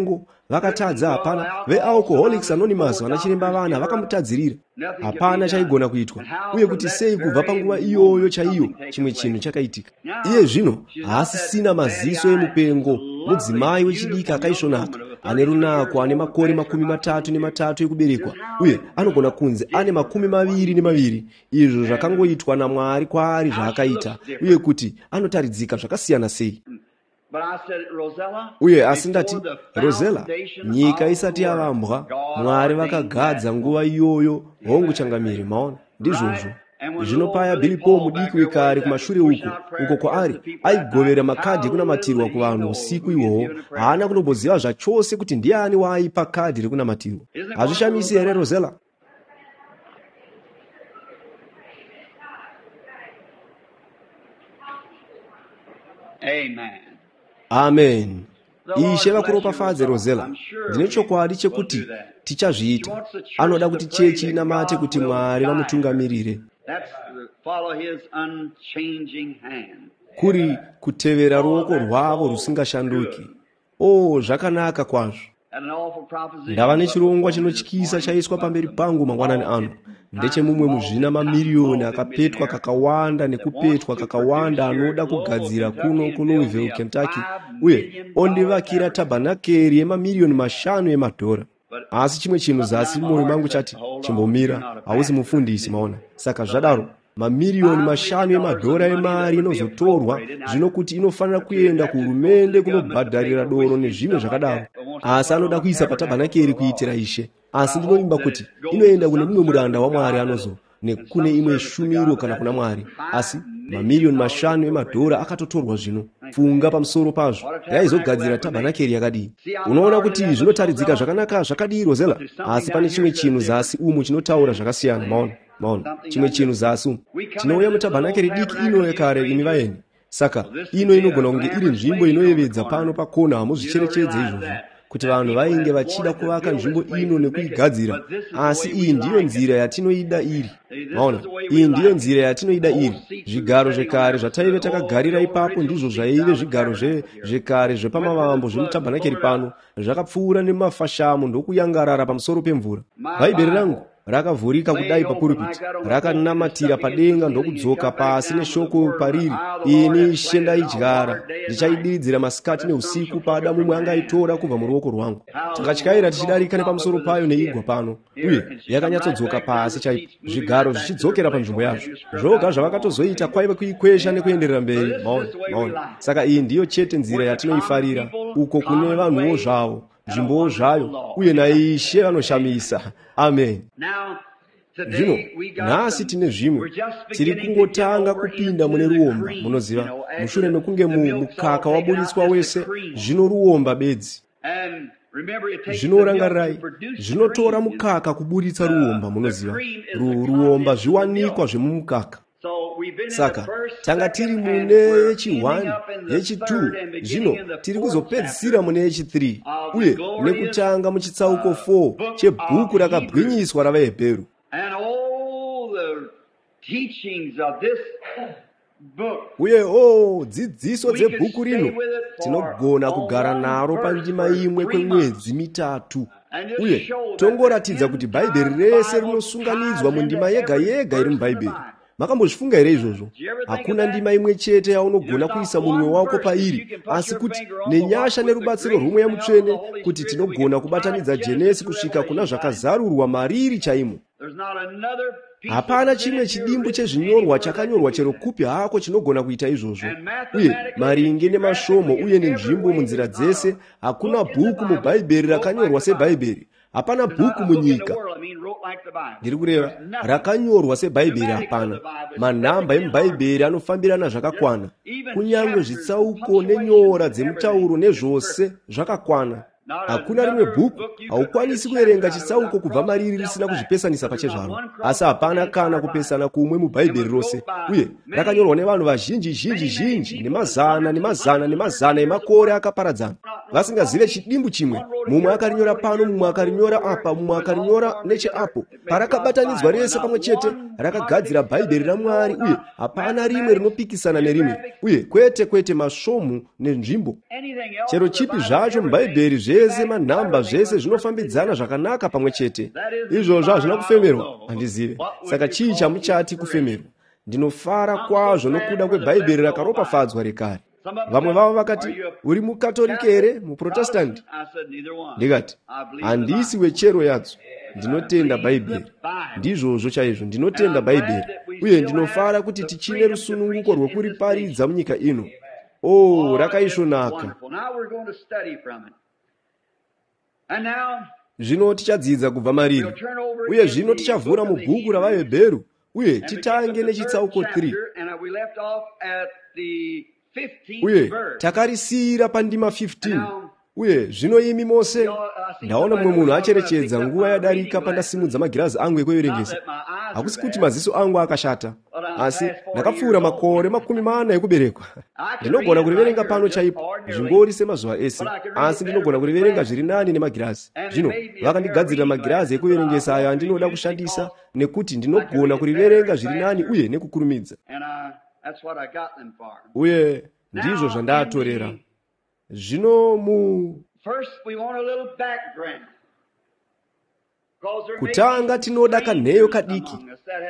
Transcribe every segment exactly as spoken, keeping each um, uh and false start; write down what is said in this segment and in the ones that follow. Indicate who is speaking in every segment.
Speaker 1: Mupengo vakatadza, hapana. VeAlcoholics Anonymous, vana chiremba vana vakamutadzirira, hapana chaigona kuitwa. Uye kuti sei kubva panguva iyoyo chaiyo chimwe chinhu chakaitika. Iye zvino haasisina maziso emupengo. Mudzimai wechidiki akaisvonaka, ane runako ane makore makumi matatu nematatu ekuberekwa, uye anogona kunzi ane makumi maviri nemaviri. Izvo zvakangoitwa naMwari kwaari zvaakaita, uye kuti anotaridzika zvakasiyana sei. Uye asi ndati, Rosella, nyika isati yavambwa, Mwari vakagadza nguva iyoyo. Hongu changamire, maona, ndizvozvo. Zvino paya Billy Paul mudiki wekare kumashure uko, uko kwaari aigovera makadhi ekunamatirwa kuvanhu usiku ihwohwo, haana kunomboziva zvachose kuti ndiani waaipa kadhi rekunamatirwa. Hazvishamisi here, Rosella?
Speaker 2: Amen.
Speaker 1: Amen. Ishe vakuropafadze, Rosella. Ndine chokwadi chekuti tichazviita. Anoda kuti chechi inamate kuti Mwari vamutungamirire. Kuri kutevera ruoko rwavo rusingashanduki. O, zvakanaka kwazvo. Ndava nechirongwa chinotyisa chaiswa pamberi pangu mangwanani ano. Ndechemumwe muzvina mamiriyoni akapetwa kakawanda nekupetwa kakawanda anoda kugadzira kuno kuLouisville, Kentucky, uye ondivakira tabhanakeri yemamiriyoni mashanu emadhora. Asi chimwe chinhu zasi mumwoyo mangu chati, chimbomira, hausi mufundisi, maona. Saka zvadaro, mamiriyoni mashanu emadhora emari inozotorwa zvino kuti inofanira kuenda kuhurumende kunobhadharira doro nezvimwe zvakadaro. Asi anoda kuisa patabhanakeri kuitira Ishe. Asi ndinovimba kuti inoenda kune mumwe muranda waMwari anozo nekune imwe shumiro kana kuna Mwari. Asi mamiriyoni mashanu emadhora akatotorwa zvino. Funga pamusoro pazvo, yaizogadzira tabhanakeri yakadii? Unoona kuti zvinotaridzika zvakanaka zvakadii, Rosella? Asi pane chimwe chinhu zasi umu chinotaura zvakasiyana, maona. Maona, chimwe chinhu zasi umu. Tinouya mutabhanakeri diki ino yekare, imi vaeni. Saka ino inogona kunge iri nzvimbo inoyevedza pano pakona, hamuzvicherechedze izvozvo, kuti vanhu vainge vachida kuvaka nzvimbo ino nekuigadzira. Asi iyi ndiyo nzira yatinoida iri. Maona, iyi ndiyo nzira yatinoida iri. Zvigaro zvekare zvataive takagarira ipapo ndizvo zvaive zvigaro zvekare zvepamavambo zvemutabhanakeri pano, zvakapfuura nemafashamu ndokuyangarara pamusoro pemvura. Bhaibheri rangu rakavhurika kudai papuripiti, rakanamatira padenga ndokudzoka pasi neshoko pariri. Ini Ishe ndaidyara, ndichaidiridzira masikati neusiku, pada mumwe angaitora kubva muruoko rwangu. Takatyaira tichidarika nepamusoro payo neigwa pano, uye yakanyatsodzoka pasi chaipo, zvigaro zvichidzokera panzvimbo yazvo. Zvoga zvavakatozoita kwaive kuikwesha nekuenderera mberi. Maona, maona. Saka iyi ndiyo chete nzira yatinoifarira, uko kune vanhuwo zvavo, nzvimbowo zvayo, uye naIshe vanoshamisa. Amen. Zvino nhasi tine zvimwe, tiri kungotanga kupinda mune ruomba, munoziva, mushure mekunge mukaka waburitswa wese, zvino ruomba bedzi. Zvino rangarirai, zvinotora mukaka kuburitsa ruomba, munoziva. Ruomba zviwanikwa zvemumukaka. Saka tanga tiri mune yechi one, yechi two, zvino tiri kuzopedzisira mune yechi three, uye nekutanga muchitsauko four chebhuku rakabwinyiswa ravaHebheru. Uye o, dzidziso dzebhuku rino, tinogona kugara naro pandima imwe kwemwedzi mitatu, uye tongoratidza kuti Bhaibheri rese rinosunganidzwa mundima yega yega iri muBhaibheri. Makambozvifunga here izvozvo? Hakuna ndima imwe chete yaunogona kuisa munwe wako pairi, asi kuti nenyasha nerubatsiro rwomweya mutsvene kuti tinogona kubatanidza Jenesi kusvika kuna zvakazarurwa mariri chaimo. Hapana chimwe chidimbu chezvinyorwa chakanyorwa chero kupi hako chinogona kuita izvozvo. Uye maringe nemasvomo uye nenzvimbo munzira dzese, hakuna bhuku muBhaibheri rakanyorwa seBhaibheri. Hapana bhuku munyika, ndiri kureva, rakanyorwa seBhaibheri. Hapana. Manhamba emuBhaibheri anofambirana zvakakwana, kunyange zvitsauko nenyora dzemutauro nezvose zvakakwana. Hakuna rimwe bhuku, haukwanisi kuverenga chitsauko kubva mariri risina kuzvipesanisa pachezvaro. Asi hapana kana kupesana kumwe muBhaibheri rose, uye rakanyorwa nevanhu vazhinji zhinji zhinji nemazana nemazana nemazana emakore akaparadzana, vasingazive chidimbu chimwe. Mumwe akarinyora pano, mumwe akarinyora apa, mumwe akarinyora necheapo. Parakabatanidzwa rese pamwe chete, rakagadzira Bhaibheri raMwari, uye hapana rimwe rinopikisana nerimwe. Uye kwete kwete masvomu nenzvimbo chero chipi zvacho muBhaibheri, zvese manhamba, zvese zvinofambidzana zvakanaka pamwe chete. Izvozvo hazvina kufemerwa? Handizive. Saka chii chamuchati kufemerwa? Ndinofara kwazvo nokuda kweBhaibheri rakaropafadzwa rekare. Vamwe vavo vakati, uri muKatorike here, muProtestanti? Ndikati, handisi wechero yadzo. Ndinotenda Bhaibheri. Ndizvozvo chaizvo, ndinotenda Bhaibheri. Uye ndinofara kuti tichine rusununguko rwekuriparidza munyika ino. Oh, rakaisvonaka. Zvino tichadzidza kubva mariri. Uye zvino tichavhura mubhuku ravaHebheru uye titange nechitsauko three. Uye takarisiyira pandima fifteen. Uye zvino imi mose, ndaona mumwe munhu acherechedza nguva yadarika pandasimudza magirazi angu ekuverengesa. Hakusi kuti maziso angu akashata, asi ndakapfuura makore makumi mana ekuberekwa. Ndinogona kuriverenga pano chaipo, zvingori semazuva ese, asi ndinogona kuriverenga zviri nani nemagirazi. Zvino vakandigadzirira magirazi ekuverengesa ayo andinoda kushandisa nekuti ndinogona kuriverenga zviri nani uye nekukurumidza. Uye ndizvo zvandaatorera. Zvino mu kutanga tinoda kanheyo kadiki,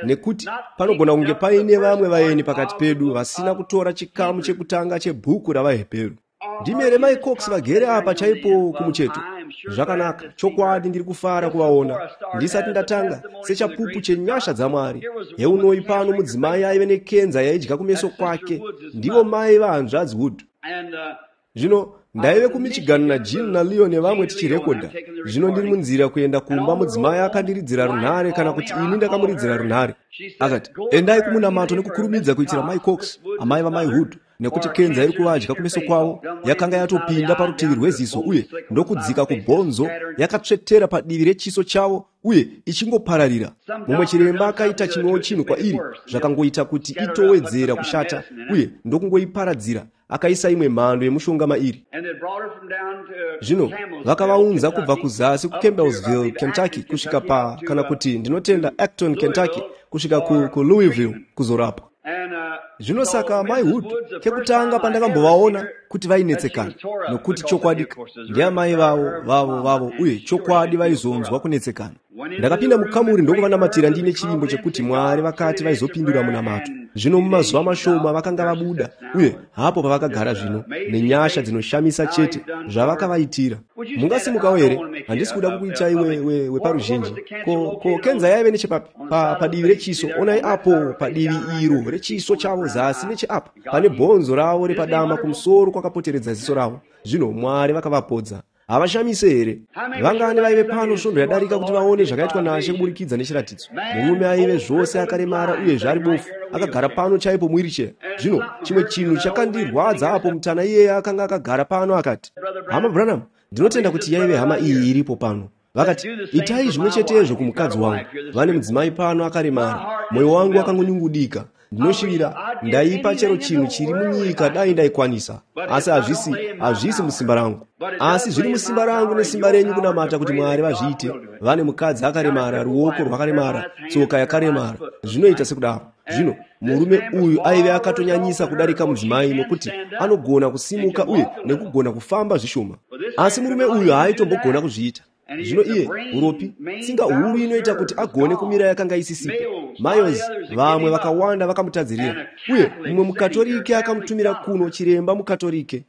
Speaker 1: nekuti panogona kunge paine vamwe vaeni pakati pedu vasina kutora chikamu chekutanga chebhuku ravaHebheru. Ndimere Mai Cox vagere apa chaipo kumucheto. Zvakanaka, chokwadi ndiri kufara kuvaona. Ndisati ndatanga sechapupu chenyasha dzaMwari. Heunoi pano mudzimai aive nekenza yaidya kumeso kwake. Ndivo mai vahanzvadzi Wood. Zvino ndaive kuMichigan naJean naLeo nevamwe tichirekodha. Zvino ndiri munzira kuenda kumba, mudzimai akandiridzira runhare, kana kuti ini ndakamuridzira runhare. Akati, endai kumunamato nekukurumidza kuitira Mai Cox, amai vaMai Hood, nekuti kenza iri kuvadya kumeso kwavo yakanga yatopinda parutivi rweziso uye ndokudzika kubhonzo, yakatsvetera padivi rechiso chavo uye ichingopararira. Mumwe chiremba akaita chimwewo chinhu kwairi, zvakangoita kuti itowedzera kushata uye ndokungoiparadzira. Akaisa imwe mhando yemushonga mairi. Zvino vakavaunza kubva kuzasi kuCampbellsville, Kentucky, kusvika pa, kana kuti ndinotenda Acton, Kentucky, kusvika ku, kuLouisville kuzorapwa. Zvino saka Mai Hood, kekutanga pandakambovaona kuti vainetsekana, nokuti chokwadi ndiamai vavo vavo vavo uye chokwadi vaizonzwa kunetsekana. Ndakapinda mukamuri ndokuvanamatira ndiine chivimbo chekuti Mwari vakati vaizopindura munamato. Zvino mumazuva mashoma vakanga vabuda, uye hapo pavakagara zvino nenyasha dzinoshamisa chete zvavakavaitira. Mungasimukawo here? Handisi kuda kukuitai weparuzhinji. Ko, ko kenza yaive nechepapi? Pa, padivi rechiso. Onai apo padivi iro rechiso chavo zasi necheapa pane bhonzo ravo repadama kumusoro kwakapoteredza ziso ravo. Zvino Mwari vakavapodza. Havashamise here? Vangani vaive pano svondo yadarika kuti vaone zvakaitwa naShe kuburikidza nechiratidzo. Murume aive zvose akaremara uyezve ari bofu, akagara pano chaipo muwiricheya. Zvino chimwe chinhu chakandirwadza apo mutana iyeye akanga akagara pano akati, Hama Branham, ndinotenda kuti yaive hama iyi iripo pano. Vakati, itai zvimwe chetezvo kumukadzi wangu. Vane mudzimai pano akaremara. Mwoyo wangu wakangonyungudika. Ndinoshivira ndaipa chero chinhu chiri munyika dai ndaikwanisa, asi hazvisi hazvisi musimba rangu. Asi zviri musimba rangu nesimba renyu kunamata kuti Mwari vazviite. Vane mukadzi akaremara, ruoko rwakaremara, tsoka yakaremara. Zvinoita sekudaro. Zvino murume uyu aive akatonyanyisa kudarika mudzimai, nokuti anogona kusimuka uye nekugona kufamba zvishoma. Asi murume uyu haaitombogona kuzviita. Zvino iye uropi, tsinga huru inoita kuti agone kumira yakanga isisipo. Mayos vamwe vakawanda vakamutadzirira, uye mumwe muKatorike akamutumira kuno, chiremba muKatorike.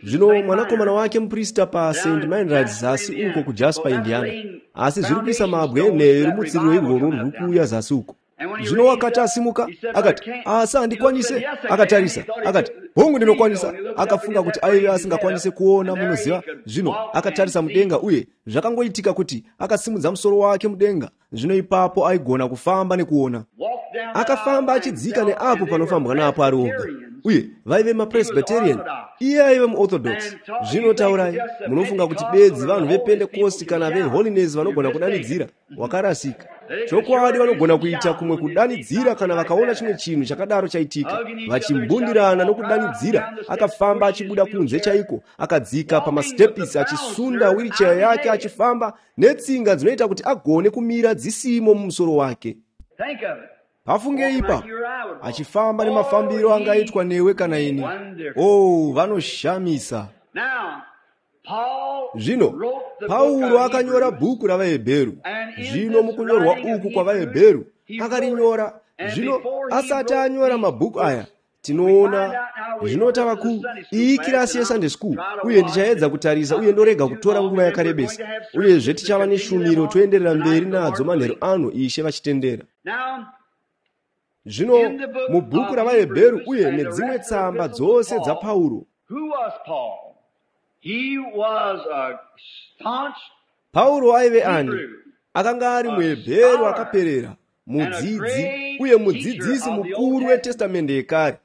Speaker 1: Zvino mwanakomana wake muprista pa Saint Meinrad zasi uko kuJasper, Indiana. Asi zviri kuisa mabwe enheyo yerumutsiriro irworwo rwuri kuuya zasi uko. Zvino wakati asimuka, akati, asi handikwanise. Akatarisa, akati, hongu ndinokwanisa. Akafunga kuti aive asingakwanise kuona, munoziva. Zvino akatarisa mudenga uye zvakangoitika kuti akasimudza musoro wake mudenga. Zvino ipapo aigona kufamba nekuona. Akafamba achidzika neapo panofambwa napo ari oga. Uye vaive maPresbyterian, iye aive muOrthodox. Zvino taurai, munofunga kuti bedzi vanhu vePentecost kana veHoliness vanogona kudanidzira? Wakarasika. Chokwadi vanogona kuita kumwe kudanidzira kana vakaona chimwe chinhu chakadaro chaitika. Vachimbundirana nokudanidzira, akafamba achibuda kunze chaiko, akadzika pamastepisi achisunda wheelchair yake achifamba netsinga dzinoita kuti agone kumira dzisimo mumusoro wake. Pafungei ipapo, achifamba nemafambiro angaitwa newe kana ini. Oh, vanoshamisa. Zvino Pauro akanyora bhuku ravaHebheru. Zvino mukunyorwa uku kwavaHebheru akarinyora. Zvino asati anyora mabhuku aya, Tinoona zvino tava ku iyi kirasi yeSunday school, uye ndichaedza kutarisa uye ndorega kutora nguva yakarebesa. Uyezve tichava neshumiro toenderera mberi nadzo manheru ano, Ishe vachitendera. Zvino mubhuku ravaHebheru uye nedzimwe tsamba dzose dzaPauro. Pauro aive ani? Akanga ari muHebheru akaperera, mudzidzi uye mudzidzisi mukuru weTestamende yekare.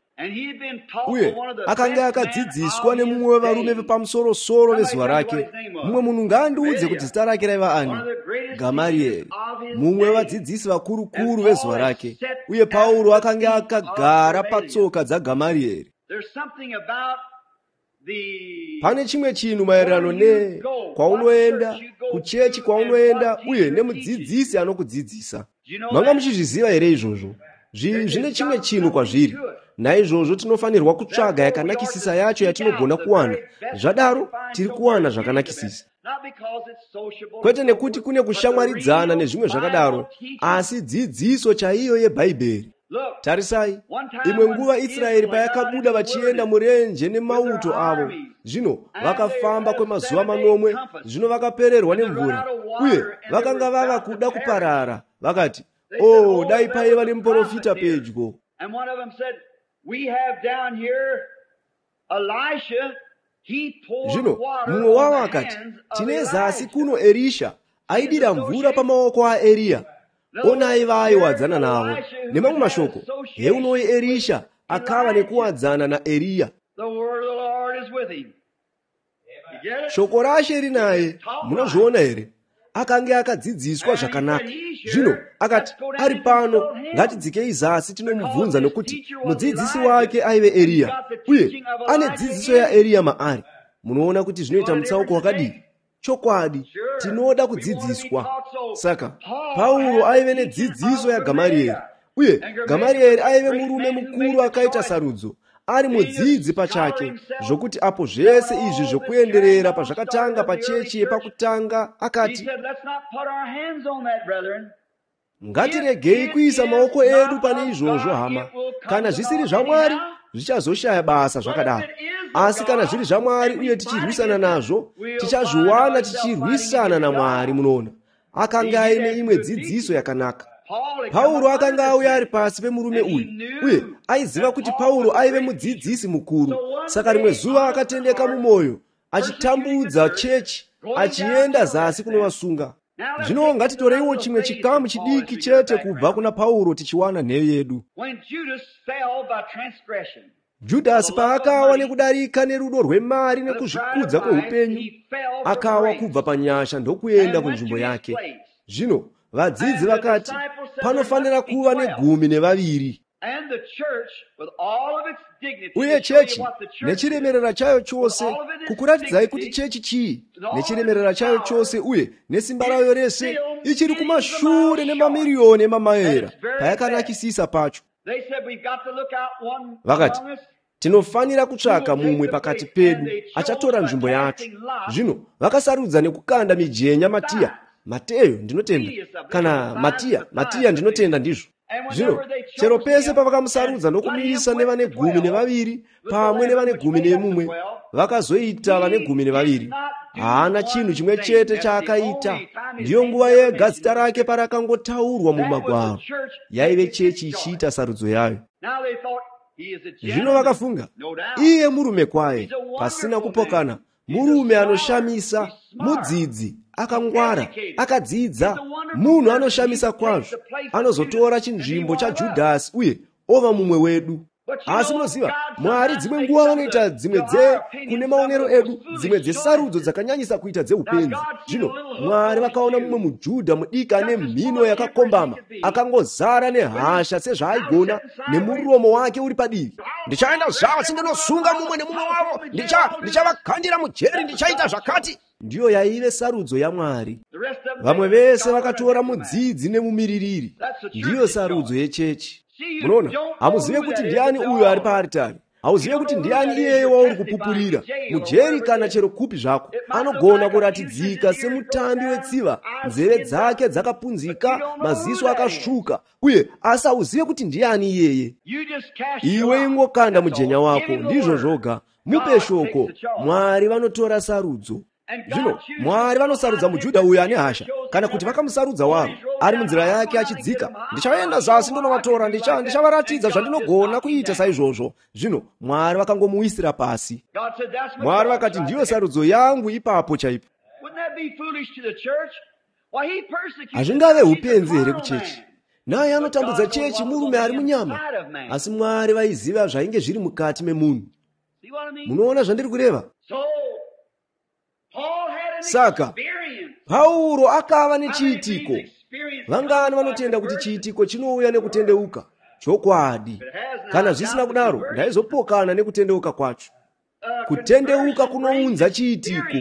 Speaker 1: Uye akanga akadzidziswa nemumwe wevarume vepamusoro-soro vezuva rake. Mumwe munhu ngaandiudze kuti zita rake raiva ani? Gamarieri, mumwe wevadzidzisi vakuru-kuru vezuva rake. Uye Pauro akanga akagara patsoka dzaGamarieri. Pane chimwe chinhu maererano ne kwaunoenda, kuchechi kwaunoenda, uye nemudzidzisi anokudzidzisa. Manga muchizviziva here izvozvo? Zvine chimwe chinhu kwazviri. Naizvozvo tinofanirwa kutsvaga yakanakisisa yacho yatinogona kuwana. Zvadaro tiri kuwana zvakanakisisa. Kwete nekuti kune kushamwaridzana nezvimwe zvakadaro, asi dzidziso chaiyo yeBhaibheri. Tarisai, imwe nguva Israeri payakabuda vachienda murenje nemauto avo, zvino vakafamba kwemazuva manomwe, zvino vakapererwa nemvura, uye vakanga vava kuda kuparara. Vakati, "Oh, dai paiva nemuprofita pedyo." Zvino mumwe wavo akati, "Tine zasi kuno Erisha, aidira mvura pamaoko aEriya." Onai vaaiwadzana navo. Nemamwe mashoko, heunoi Erisha akava nekuwadzana naEriya. Shoko raShe rinaye, munozviona here? Akange akadzidziswa zvakanaka. Zvino akati, "Ari pano, ngatidzikei zasi tinomubvunza, nokuti mudzidzisi wake aive Eriya, uye ane dzidziso yaEriya maari." Munoona kuti zvinoita mutsauko wakadii? Chokwadi, tinoda kudzidziswa. Saka Pauro aive nedzidziso yaGamarieri, uye Gamarieri aive murume mukuru akaita sarudzo, ari mudzidzi pachake, zvokuti apo zvese izvi zvokuenderera pazvakatanga pachechi yepakutanga, akati, "Ngatiregei kuisa maoko edu pane izvozvo, hama. Kana zvisiri zvaMwari, zvichazoshaya basa zvakadaro. Asi kana zviri zvaMwari uye tichirwisana nazvo, tichazviwana tichirwisana naMwari." Munoona, akanga aine imwe dzidziso yakanaka. Pauro akanga auya ari pasi pemurume uyu, uye aiziva kuti Pauro aive mudzidzisi mukuru. Saka rimwe zuva akatendeka mumwoyo, achitambudza chechi, achienda zasi kunovasunga. Zvino ngatitoreiwo chimwe chikamu chidiki chete kubva kuna Pauro tichiwana nheyo yedu. Judhasi paakawa nekudarika nerudo rwemari nekuzvikudza kweupenyu, akawa kubva panyasha ndokuenda kunzvimbo yake. Zvino vadzidzi vakati, panofanira kuva negumi nevaviri. Uye chechi nechiremerera chayo chose, kukuratidzai kuti chechi chii, nechiremerera chayo chose uye nesimba rayo rese, ichiri kumashure nemamiriyoni emamayera payakanakisisa pacho. Vakati, tinofanira kutsvaka mumwe pakati pedu achatora nzvimbo yacho. Zvino vakasarudza nekukanda mijenya Matiya, Mateyo ndinotenda, kana Matiya, Matiya ndinotenda ndizvo. Zvino chero pese pavakamusarudza nokumisa nevane gumi nevaviri pamwe nevane gumi nemumwe, vakazoita vane gumi nevaviri. Haana chinhu chimwe chete chaakaita. Ndiyo nguva yega zita rake parakangotaurwa mumagwaro. Yaive chechi ichiita sarudzo yayo. Zvino vakafunga, iye murume kwaye, pasina kupokana, murume anoshamisa, mudzidzi, akangwara, akadzidza, munhu anoshamisa kwazvo, anozotora chinzvimbo chaJudhasi uye ova mumwe wedu. Asi munoziva, Mwari dzimwe nguva vanoita dzimwe dze kune maonero edu, dzimwe dzesarudzo dzakanyanyisa kuita dzeupenzi. Zvino Mwari vakaona mumwe muJudha mudiki ane mhino yakakombama, akangozara nehasha sezvaaigona, nemuromo wake uri padivi.
Speaker 3: Ndichaenda zvasi ndinosunga mumwe nemumwe wavo, ndichavakandira mujeri, ndichaita zvakati.
Speaker 1: Ndiyo yaive sarudzo yaMwari. Vamwe vese vakatora mudzidzi nemumiririri. Ndiyo sarudzo yechechi. Munoona, hamuzive kuti ndiani uyo ari paaritari. Hauzive kuti ndiani iyeye wauri kupupurira mujeri kana chero kupi zvako. Anogona kuratidzika semutambi wetsiva, nzeve dzake dzakapunzika, maziso akasvuka, uye asi hauzive kuti ndiani iyeye. Iwe ingokanda mujenya wako, ndizvo zvoga. Mupe shoko. Mwari vanotora sarudzo. Zvino Mwari vanosarudza muJudha uyu ane hasha, kana kuti vakamusarudza waro ari munzira yake achidzika. Ndichaenda zasi ndonovatora, ndichavaratidza zvandinogona kuita saizvozvo. Zvino Mwari vakangomuwisira pasi. Mwari vakati, ndiyo sarudzo yangu ipapo chaipo. Hazvingave upenzi here kuchechi? Naye anotambudza chechi, murume ari munyama, asi Mwari vaiziva zvainge zviri mukati memunhu. Munoona zvandiri kureva? Saka Pauro akava nechiitiko. Vangani vanotenda kuti chiitiko chinouya nekutendeuka? Chokwadi. Kana zvisina kudaro, ndaizopokana nekutendeuka kwacho. Kutendeuka kunounza chiitiko,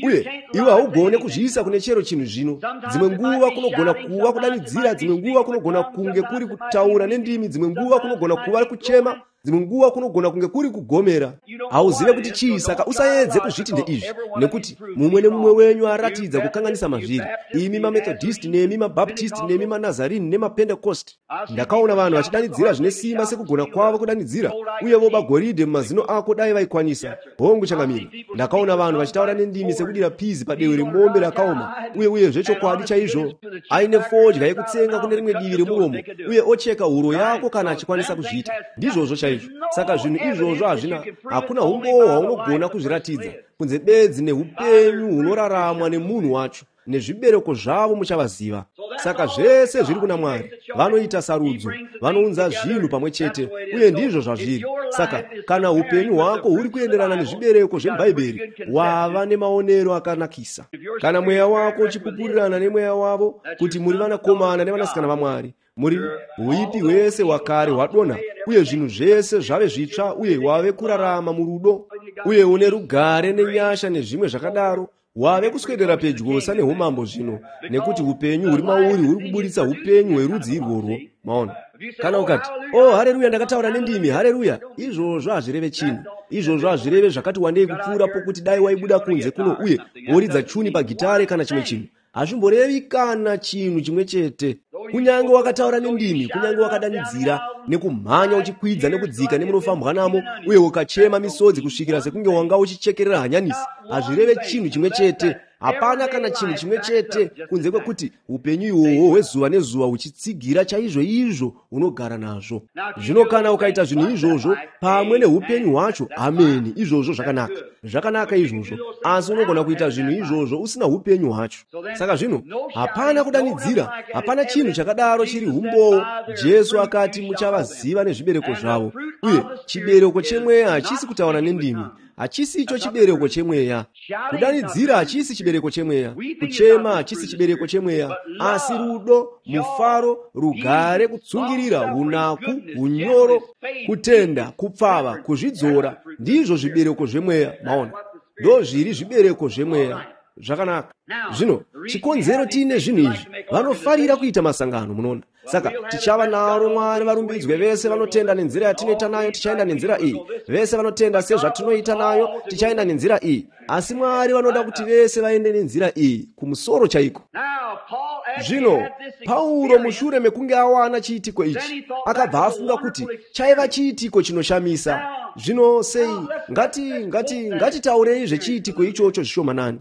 Speaker 1: uye iwe haugone kuzviisa kune chero chinhu. Zvino dzimwe nguva kunogona kuva kudanidzira, dzimwe nguva kunogona kunge kuri kutaura nendimi, dzimwe nguva kunogona kuva kuchema, dzimwe nguva kunogona kunge kuri kugomera. Hauzive kuti chii, saka usaedze kuzviti ndeizvi, nekuti mumwe nemumwe wenyu aratidza kukanganisa mazviri. Imi maMethodist, nemi maBaptist, nemi maNazarini nemaPentecost. Ndakaona vanhu vachidanidzira zvine simba sekugona kwavo kudanidzira, uye voba goridhe mumazino ako dai vaikwanisa. Hongu changamire. Ndakaona vanhu vachitaura nendimi sekudira pizi padewe remombe rakaoma, uye uye zvechokwadi chaizvo, aine fodya yekutsenga kune rimwe divi remuromo, uye ocheka huro yako kana achikwanisa kuzviita. Ndizvozvo chaizvo. Saka zvinhu izvozvo hazvina, hakuna humbowo hwaunogona kuzviratidza kunze bedzi neupenyu hunoraramwa nemunhu wacho, nezvibereko zvavo muchavaziva. Saka zvese zviri kuna Mwari. Vanoita sarudzo, vanounza zvinhu pamwe chete, uye ndizvo zvazviri. Saka kana upenyu hwako huri kuenderana nezvibereko zveBhaibheri, wava nemaonero akanakisa. Kana mweya wako uchipupurirana nemweya wavo kuti muri vanakomana nevanasikana vaMwari, muri huipi hwese hwakare hwadonha, uye zvinhu zvese zvave zvitsva, uye wave kurarama murudo, uye une rugare nenyasha nezvimwe zvakadaro, wave kuswedera pedyosa neumambo zvino, nekuti upenyu huri mauri huri kuburitsa upenyu hwerudzi irworwo. Maona? Kana ukati, oh hareruya, ndakataura nendimi, hareruya, izvozvo hazvireve chinhu. Izvozvo hazvireve zvakati wandei kupfuura pokuti dai waibuda kunze kuno uye woridza chuni pagitare kana chimwe chinhu. Hazvimborevi kana chinhu chimwe chete. Kunyange wakataura nendimi, kunyange wakadanidzira nekumhanya uchikwidza nekudzika nemunofambwa namo, uye ukachema misodzi kusvikira sekunge wanga uchichekerera hanyanisi, hazvireve chinhu chimwe chete. Hapana kana chinhu chimwe chete kunze kwekuti upenyu ihwohwo hwezuva nezuva huchitsigira chaizvo izvo unogara nazvo. Zvino kana ukaita zvinhu izvozvo pamwe neupenyu hwacho, ameni, izvozvo zvakanaka. Zvakanaka izvozvo. Asi unogona kuita zvinhu izvozvo usina upenyu hwacho. Saka zvino hapana kudanidzira, hapana chinhu chakadaro chiri humbowo. Jesu akati muchavaziva nezvibereko zvavo, uye chibereko chemweya hachisi kutaura nendimi. Hachisi icho chibereko chemweya. Kudanidzira hachisi chibereko chemweya. Kuchema hachisi chibereko chemweya. Asi rudo, mufaro, rugare, kutsungirira, unaku, unyoro, kutenda, kupfava, kuzvidzora, ndizvo zvibereko zvemweya. Maona? Ndozviri zvibereko zvemweya. Zvakanaka. Zvino chikonzero tiine zvinhu izvi, vanofarira kuita masangano, munoona. Saka tichava naro Mwari varumbidzwe vese vanotenda nenzira yatinoita nayo, tichaenda nenzira iyi. Vese vanotenda sezvatinoita nayo, tichaenda nenzira iyi. Asi Mwari vanoda kuti vese vaende nenzira iyi, kumusoro chaiko. Zvino Pauro mushure mekunge awana chiitiko ichi, akabva afunga kuti chaiva chiitiko chinoshamisa. Zvino sei, ngati ngati ngatitaurei zvechiitiko ichocho zvishomanani.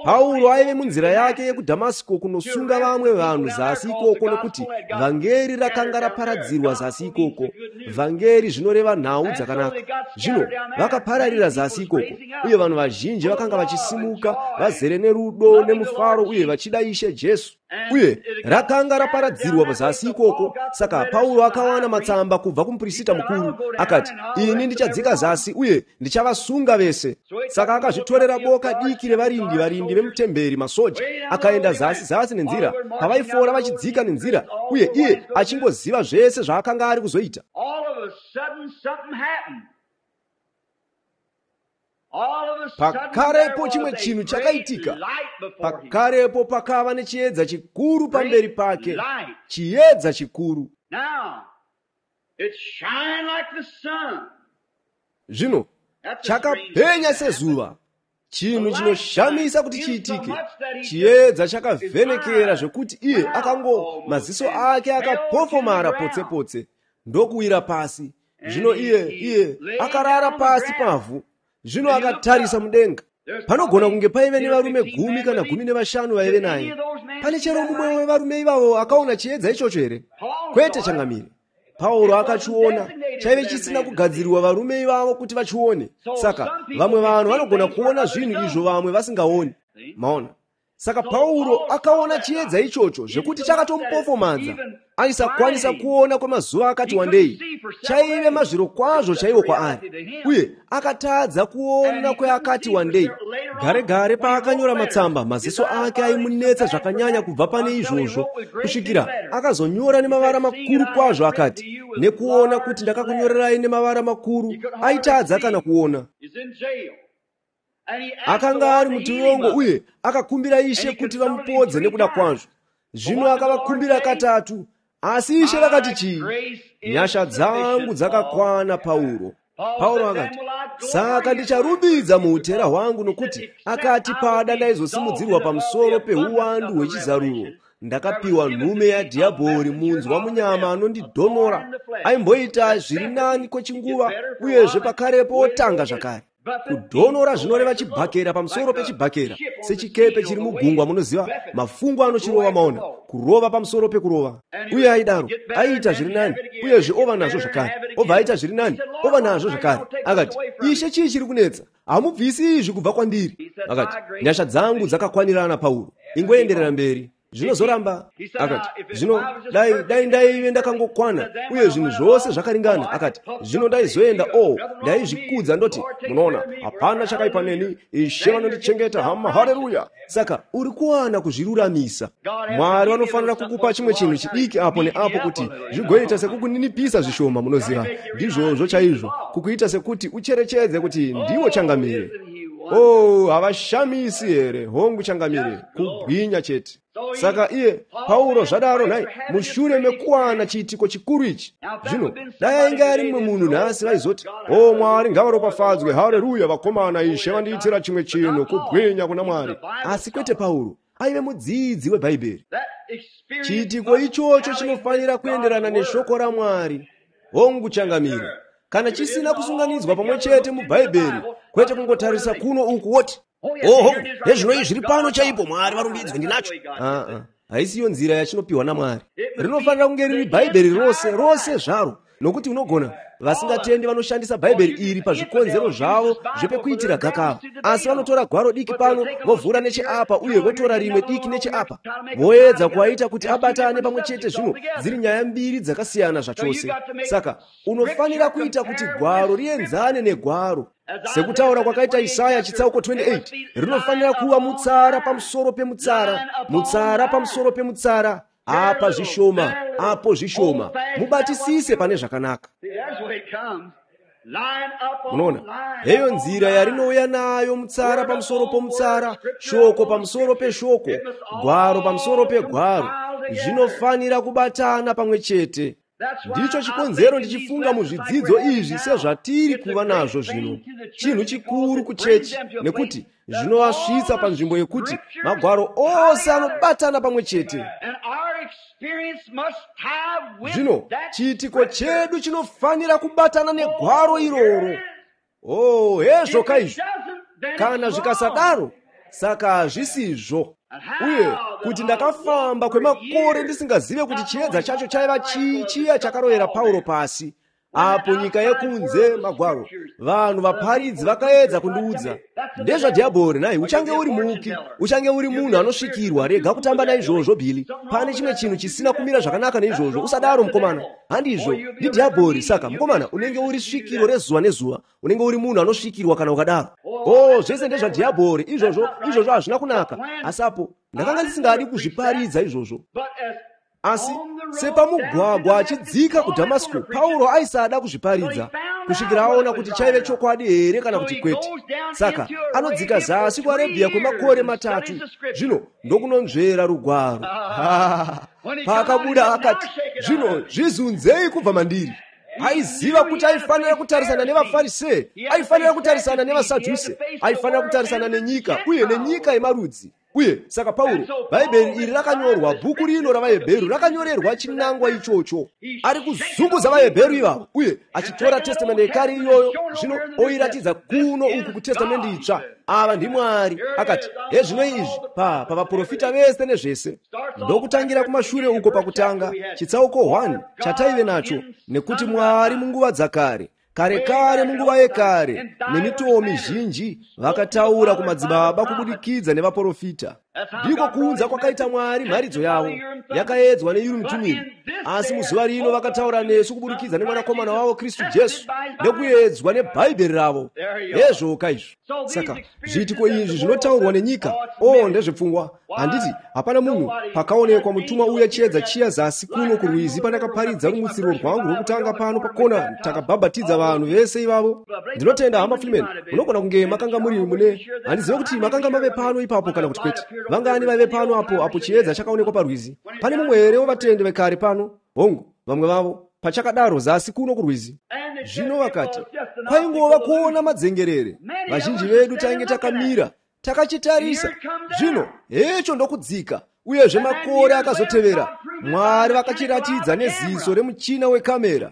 Speaker 1: Pauro aive munzira yake yekuDhamasiko kunosunga vamwe vanhu zasi ikoko, nokuti vhangeri rakanga raparadzirwa zasi ikoko. Vhangeri zvinoreva nhau dzakanaka. Zvino vakapararira zasi ikoko, uye vanhu vazhinji vakanga vachisimuka vazere nerudo nemufaro uye vachida Ishe Jesu. Uye rakanga raparadzirwa zasi ikoko. Saka Pauro akawana matsamba kubva kumuprista mukuru, akati, ini ndichadzika zasi uye ndichavasunga vese. Saka akazvitorera boka diki revarindi, varindi vemutemberi, masoja, akaenda zasi zasi nenzira pavaifora vachidzika nenzira, uye iye achingoziva zvese zvaakanga ari kuzoita. Pakarepo chimwe chinhu chakaitika. Pakarepo pakava nechiedza chikuru pamberi pake, chiedza chikuru. Zvino chakapenya sezuva, chinhu chinoshamisa kuti chiitike. Chiedza chakavhenekera zvekuti iye akango maziso ake akapofomara potse potse ndokuwira pasi. Zvino iye iye akarara pasi pavhu. Zvino akatarisa mudenga. Panogona kunge paive nevarume gumi kana gumi nevashanu vaive naye. Pane chero mumwe wevarume ivavo akaona chiedza ichocho here? Kwete changamire. Pauro akachiona, chaive chisina kugadzirirwa varume ivavo kuti vachione. Saka vamwe vanhu vanogona kuona zvinhu izvo vamwe vasingaoni. Maona? Saka Pauro akaona chiedza ichocho zvekuti chakatomupofomadza. Aisakwanisa kuona kwemazuva akati wandei. Chaive mazviro kwazvo chaiwo kwaari, uye akatadza kuona kweakati wandei. Gare gare paakanyora matsamba, maziso ake aimunetsa zvakanyanya kubva pane izvozvo, kusvikira akazonyora nemavara makuru kwazvo akati, nekuona kuti ndakakunyorerai nemavara makuru. Aitadza kana kuona. Akanga ari mutirongo uye akakumbira Ishe kuti vamupodze nekuda kwazvo. Zvino akavakumbira katatu, asi Ishe vakati chii? Nyasha dzangu dzakakwana, Pauro. Pauro akati, saka ndicharumbidza muutera hwangu, nokuti akati pada ndaizosimudzirwa pamusoro peuwandu hwechizaruro. Ndakapiwa nhume yadhiabhori, munzwa munyama anondidhonora. Aimboita zviri nani kwechinguva, uyezve pakarepo otanga zvakare. Kudhonora zvinoreva chibhakera pamusoro pechibhakera, sechikepe chiri mugungwa. Munoziva, mafungu anochirova, maona, kurova pamusoro pekurova. Uye aidaro, aiita zviri nani, uyezve ova nazvo zvakare, obva aita zviri nani, ova nazvo zvakare. Akati, Ishe, chii chiri kunetsa? Hamubvisi izvi kubva kwandiri. Akati, nyasha dzangu dzakakwanirana, Pauro, ingoenderera mberi. Zvinozoramba. Akati, zvino dai dai ndaive ndakangokwana uye zvinhu zvose zvakaringana. Akati, zvino ndaizoenda, o ndaizvikudza ndoti, munoona, hapana chakaipa neni, Ishe vanondichengeta, hama, haleluya. Saka uri kuwana kuzviruramisa. Mwari vanofanira kukupa chimwe chinhu chidiki apo neapo kuti zvigoita sekukuninipisa zvishoma, munoziva. Ndizvozvo chaizvo, kukuita sekuti ucherechedze kuti ndiwo changamire. Oh, havashamisi here? Hongu changamire, kubwinya chete. Saka iye Pauro zvadaro nhai, mushure mekuwana chiitiko chikuru ichi. Zvino dai ainge ari mumwe munhu nhasi vaizoti, o Mwari ngavaropafadzwe, haleluya, vakomana, Ishe vandiitira chimwe chinhu, kubwinya kuna Mwari. Asi kwete Pauro, aive mudzidzi weBhaibheri. Chiitiko ichocho chinofanira kuenderana neshoko raMwari. Hongu changamire. Kana chisina kusunganidzwa pamwe chete muBhaibheri, kwete kungotarisa kuno uku woti,
Speaker 3: oho, nezvino izvi zviri pano chaipo, Mwari varumbidzwe, ndinacho.
Speaker 1: Aa, haisiyo nzira yachinopiwa naMwari. Rinofanira kunge riri Bhaibheri rose rose zvaro, nokuti unogona vasingatendi vanoshandisa Bhaibheri iri pazvikonzero zvavo zvepekuitira gakava, asi vanotora gwaro diki pano vovhura necheapa uye votora rimwe diki necheapa, voedza kuaita kuti abatane pamwe chete. Zvino dziri nyaya mbiri dzakasiyana zvachose. Saka unofanira kuita kuti gwaro rienzane negwaro. Sekutaura kwakaita Isaya chitsauko twenty-eight, rinofanira kuva mutsara pamusoro pemutsara, mutsara pamusoro pemutsara, apa zvishoma, apo zvishoma. Mubatisise pane zvakanaka. Munoona, heyo nzira yarinouya nayo, mutsara pamusoro pomutsara, shoko pamusoro peshoko, gwaro pamusoro pegwaro, zvinofanira kubatana pamwe chete. Ndicho chikonzero ndichifunga muzvidzidzo izvi sezvatiri kuva nazvo zvino. Chinhu chikuru kuchechi, nekuti zvinovasvitsa panzvimbo yekuti magwaro ose anobatana pamwe chete. Zvino chiitiko chedu chinofanira kubatana negwaro iroro. Oh, hezvo kaizvo. Kana zvikasadaro, saka hazvisizvo. Uye kuti ndakafamba kwemakore ndisingazive kuti chiedza chacho chaiva chii, chiya chakarovera Pauro pasi. Apo nyika yekunze magwaro, vanhu vaparidzi vakaedza kundiudza ndezvadhiabhori. Nhai, uchange uri muki, uchange uri munhu anosvikirwa, rega kutamba naizvozvo Bhili. Pane chimwe chinhu chisina kumira zvakanaka neizvozvo, usadaro mukomana. Handizvo, ndidhiabhori. Saka mukomana, unenge uri svikiro rezuva nezuva, unenge uri munhu anosvikirwa kana ukadaro. Oh, zvese ndezvadhiabhori, izvozvo izvozvo hazvina kunaka. Asi apo ndakanga ndisingadi kuzviparidza izvozvo. Asi sepamugwagwa achidzika kuDhamasiko, Pauro aisada kuzviparidza kusvikira aona kuti chaive chokwadi here kana kuti kwete. Saka anodzika zasi kuArebhia kwemakore matatu, zvino ndokunonzvera rugwaro. Paakabuda akati, zvino zvizunzei kubva mandiri. Aiziva kuti aifanira kutarisana nevaFarisee, aifanira kutarisana nevaSadhuse, aifanira kutarisana nenyika uye nenyika yemarudzi. Uye saka Pauro, Bhaibheri iri rakanyorwa, bhuku rino ravaHebheru rakanyorerwa chinangwa ichocho. Ari kuzunguza vaHebheru ivavo uye achitora Testamende yekare iyoyo, zvino oiratidza kuno uku kuTestamende itsva. Ava ndiMwari. Akati, hezvino izvi pa pavaprofita vese nezvese. Ndokutangira kumashure uko pakutanga, chitsauko one chataive nacho, nekuti Mwari munguva dzakare, kare kare munguva yekare, nemitoo mizhinji vakataura kumadzibaba kubudikidza nevaprofita. Ndiko kuunza kwakaita Mwari mharidzo yavo, yakaedzwa neUrimu Tumimu. Asi muzuva rino vakataura nesu kubudikidza nemwanakomana wavo Kristu Jesu, nekuedzwa neBhaibheri ravo. Hezvoka izvo. Saka zviitiko izvi zvinotaurwa nenyika, oh, ndezvepfungwa. Handiti hapana munhu pakaonekwa mutumwa uya chiedza chiya zasi kuno kurwizi pandakaparidza rumutsiriro rwangu rwekutanga pano pakona, takabhabhatidza vanhu vese ivavo. Ndinotenda hama Freeman, munogona kunge makanga muri mune, handizive kuti makanga mave pano ipapo kana kuti kwete. Vangani vaive pano apo apo chiedza chakaonekwa parwizi? Pane mumwe here wevatende vekare pano? Hongu, vamwe vavo pachakadaro zasi kuno kurwizi. Zvino vakati kwaingova kuona madzengerere. Vazhinji vedu tainge takamira takachitarisa. Zvino hecho ndokudzika, uyezve makore akazotevera, Mwari vakachiratidza neziso remuchina wekamera.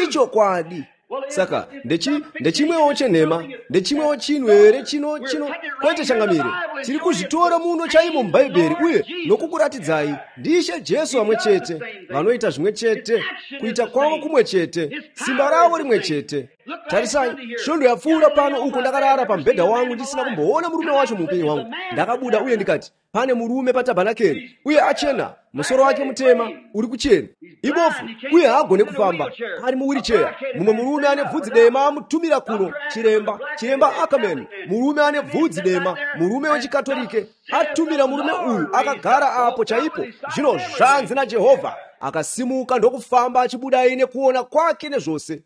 Speaker 1: Ichokwadi. Saka ndechi ndechimwewo chenhema, ndechimwewo chinhu here chino chino kwete changamire. Tiri kuzvitora muno chaimo muBhaibheri uye nokukuratidzai ndiShe Jesu vamwe chete, vanoita zvimwe chete, kuita kwavo kumwe chete, simba ravo rimwe chete. Tarisai, svondo yapfuura pano uko ndakarara pamubhedha wangu ndisina kumboona murume wacho muupenyu hwangu. Ndakabuda uye ndikati, pane murume patabhanakeri, uye achena, musoro wake mutema, uri kuchena, ibofu, uye haagone kufamba, ari muwiricheya. Mumwe murume ane bvudzi dema amutumira kuno, chiremba, chiremba Ackerman, murume ane bvudzi dema, murume wechikatorike, atumira murume uyu akagara apo chaipo. Zvino zvanzi naJehovha, akasimuka ndokufamba achibuda aine kuona kwake nezvose.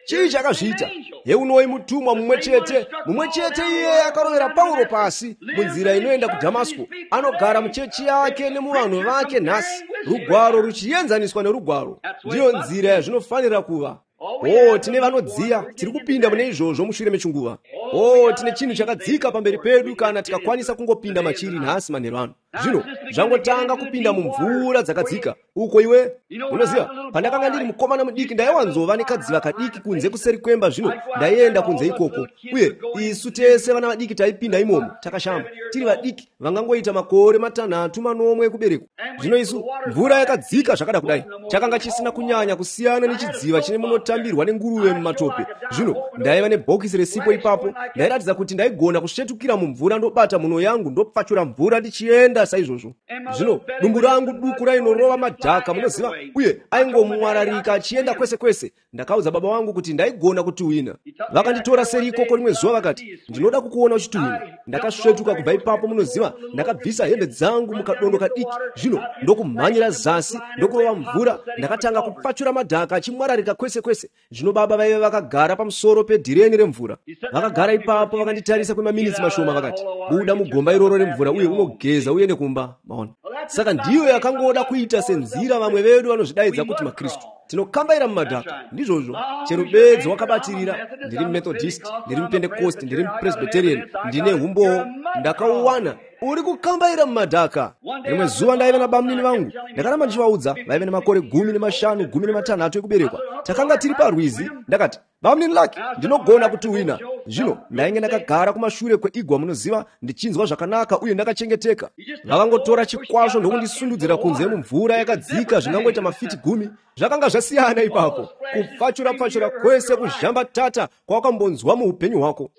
Speaker 1: Chii chakazviita? Heunoi mutumwa mumwe chete, mumwe chete iye akarovera Pauro pasi munzira inoenda kuDhamasiko, anogara muchechi yake nemuvanhu vake nhasi, rugwaro ruchienzaniswa nerugwaro. Ndiyo nzira yazvinofanira kuva. Oh, tine vanodziya, tiri kupinda mune izvozvo mushure mechinguva. Oh, tine chinhu chakadzika pamberi pedu kana tikakwanisa kungopinda machiri nhasi manheru ano. Zvino zvangotanga kupinda mumvura dzakadzika uko iwe unoziva, pandakanga ndiri mukomana mudiki ndaiwanzova nekadziva kadiki kunze kuseri kwemba. Zvino ndaienda kunze ikoko, uye isu tese vana vadiki taipinda imomo takashama, tiri vadiki vangangoita makore matanhatu manomwe ekuberekwa. Zvino isu mvura yakadzika zvakada kudai, chakanga chisina kunyanya kusiyana nechidziva chine munotambirwa nenguruve mumatope. Zvino ndaiva nebhokisi resipo ipapo, ndairatidza kuti ndaigona kusvetukira mumvura ndobata muno yangu ndopfachura mvura ndichienda saizvozvo. Zvino dumbu rangu duku rainorova madhaka, munoziva, uye aingomwararika achienda kwese kwese. Ndakaudza baba vangu kuti ndaigona kutuhwina. Vakanditora seri ikoko rimwe zuva vakati, ndinoda kukuona uchituhwina. Ndakasvetuka kubva ipapo, munoziva, ndakabvisa hembe dzangu mukadondo kadiki, zvino ndokumhanyira zasi ndokurova mvura. Ndakatanga kupfachura madhaka achimwararika kwese kwese. Zvino baba vaive vakagara pamusoro pedhireni remvura. Vakagara ipapo vakanditarisa kwemaminitsi mashoma vakati, buda mugomba iroro remvura uye unogeza uende kumba. Maona? Saka ndiyo yakangoda kuita senzira vamwe vedu vanozvidaidza kuti maKristu. Tinokambaira mumadhaka, ndizvozvo. Chero bedzi wakabatirira, ndiri Methodist, ndiri Pentecost, ndiri Presbyterian, ndine humbowo, ndakauwana. Uri kukambaira mumadhaka. Rimwe zuva ndaive nabamunini vangu, ndakaramba ndichivaudza, vaive nemakore gumi nemashanu, gumi nematanhatu ekuberekwa. Takanga tiri parwizi, ndakati, bamunini Lucky, ndinogona kutuhwina. Zvino ndainge ndakagara kumashure kweigwa, munoziva, ndichinzwa zvakanaka uye ndakachengeteka. Vakangotora chikwasvo ndokundisundudzira kunze mumvura yakadzika zvingangoita mafiti gumi. Zvakanga zvasiyana ipapo, kupfachura-pfachura kwese kuzhambatata kwawakambonzwa muupenyu hwako.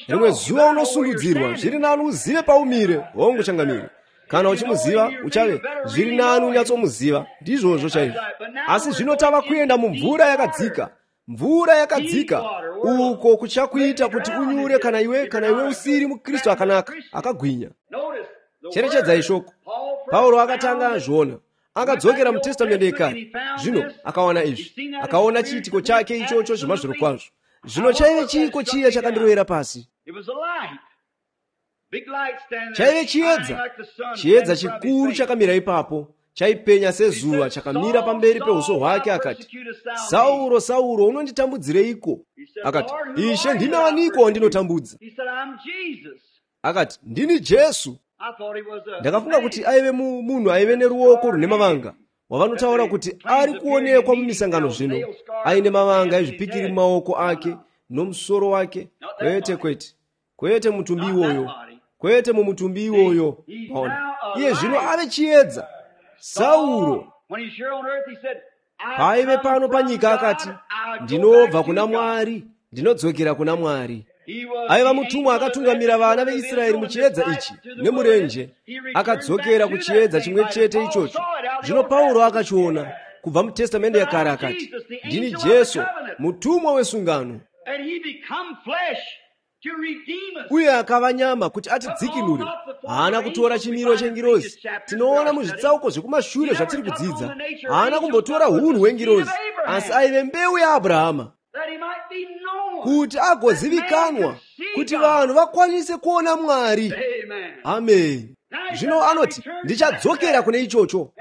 Speaker 1: Rimwe zuva unosundudzirwa, zviri nani uzive paumire. Hongu changamire. Kana uchimuziva uchave, zviri nani unyatsomuziva. Ndizvozvo chaizvo. Asi zvino tava kuenda mumvura yakadzika. Mvura yakadzika uko kuchakuita kuti unyure kana iwe kana iwe usiri muKristu akanaka akagwinya. Cherechedzai shoko. Pauro akatanga azviona, akadzokera muTestamende yekare. Zvino akawana izvi, akaona chiitiko chake ichocho zvemazvirokwazvo. Zvino chaive chiiko chiya chakandirovera pasi? Chaive chiedza, chiedza chikuru chakamira ipapo, Chaipenya sezuva chakamira pamberi peuso hwake. Akati, Sauro, Sauro, unonditambudzireiko? Akati, Ishe, ndimi aniko wandinotambudza? Akati, ndini Jesu. Ndakafunga kuti aive munhu aive neruoko rune mavanga, wavanotaura kuti ari kuonekwa mumisangano zvino, aine mavanga ezvipikiri mumaoko ake nomusoro wake. Kwete, kwete, kwete mutumbi iwoyo, kwete mumutumbi iwoyo. Maona, iye zvino ave chiedza. Sauro paaive pano panyika akati, ndinobva kuna Mwari, ndinodzokera kuna Mwari. Aiva mutumwa akatungamira vana veIsraeri muchiedza ichi nemurenje, akadzokera kuchiedza chimwe chete ichocho. Zvino Pauro akachiona kubva muTestamende yakare akati, ndini Jesu, mutumwa wesungano. Uye akava nyama kuti atidzikinure. Haana kutora chimiro chengirozi. Tinoona muzvitsauko zvekumashure zvatiri kudzidza. Haana kumbotora hunhu hwengirozi, asi aive mbeu yaAbrahama, kuti agozivikanwa, kuti vanhu vakwanise kuona Mwari. Amen. Zvino anoti, ndichadzokera kune ichocho.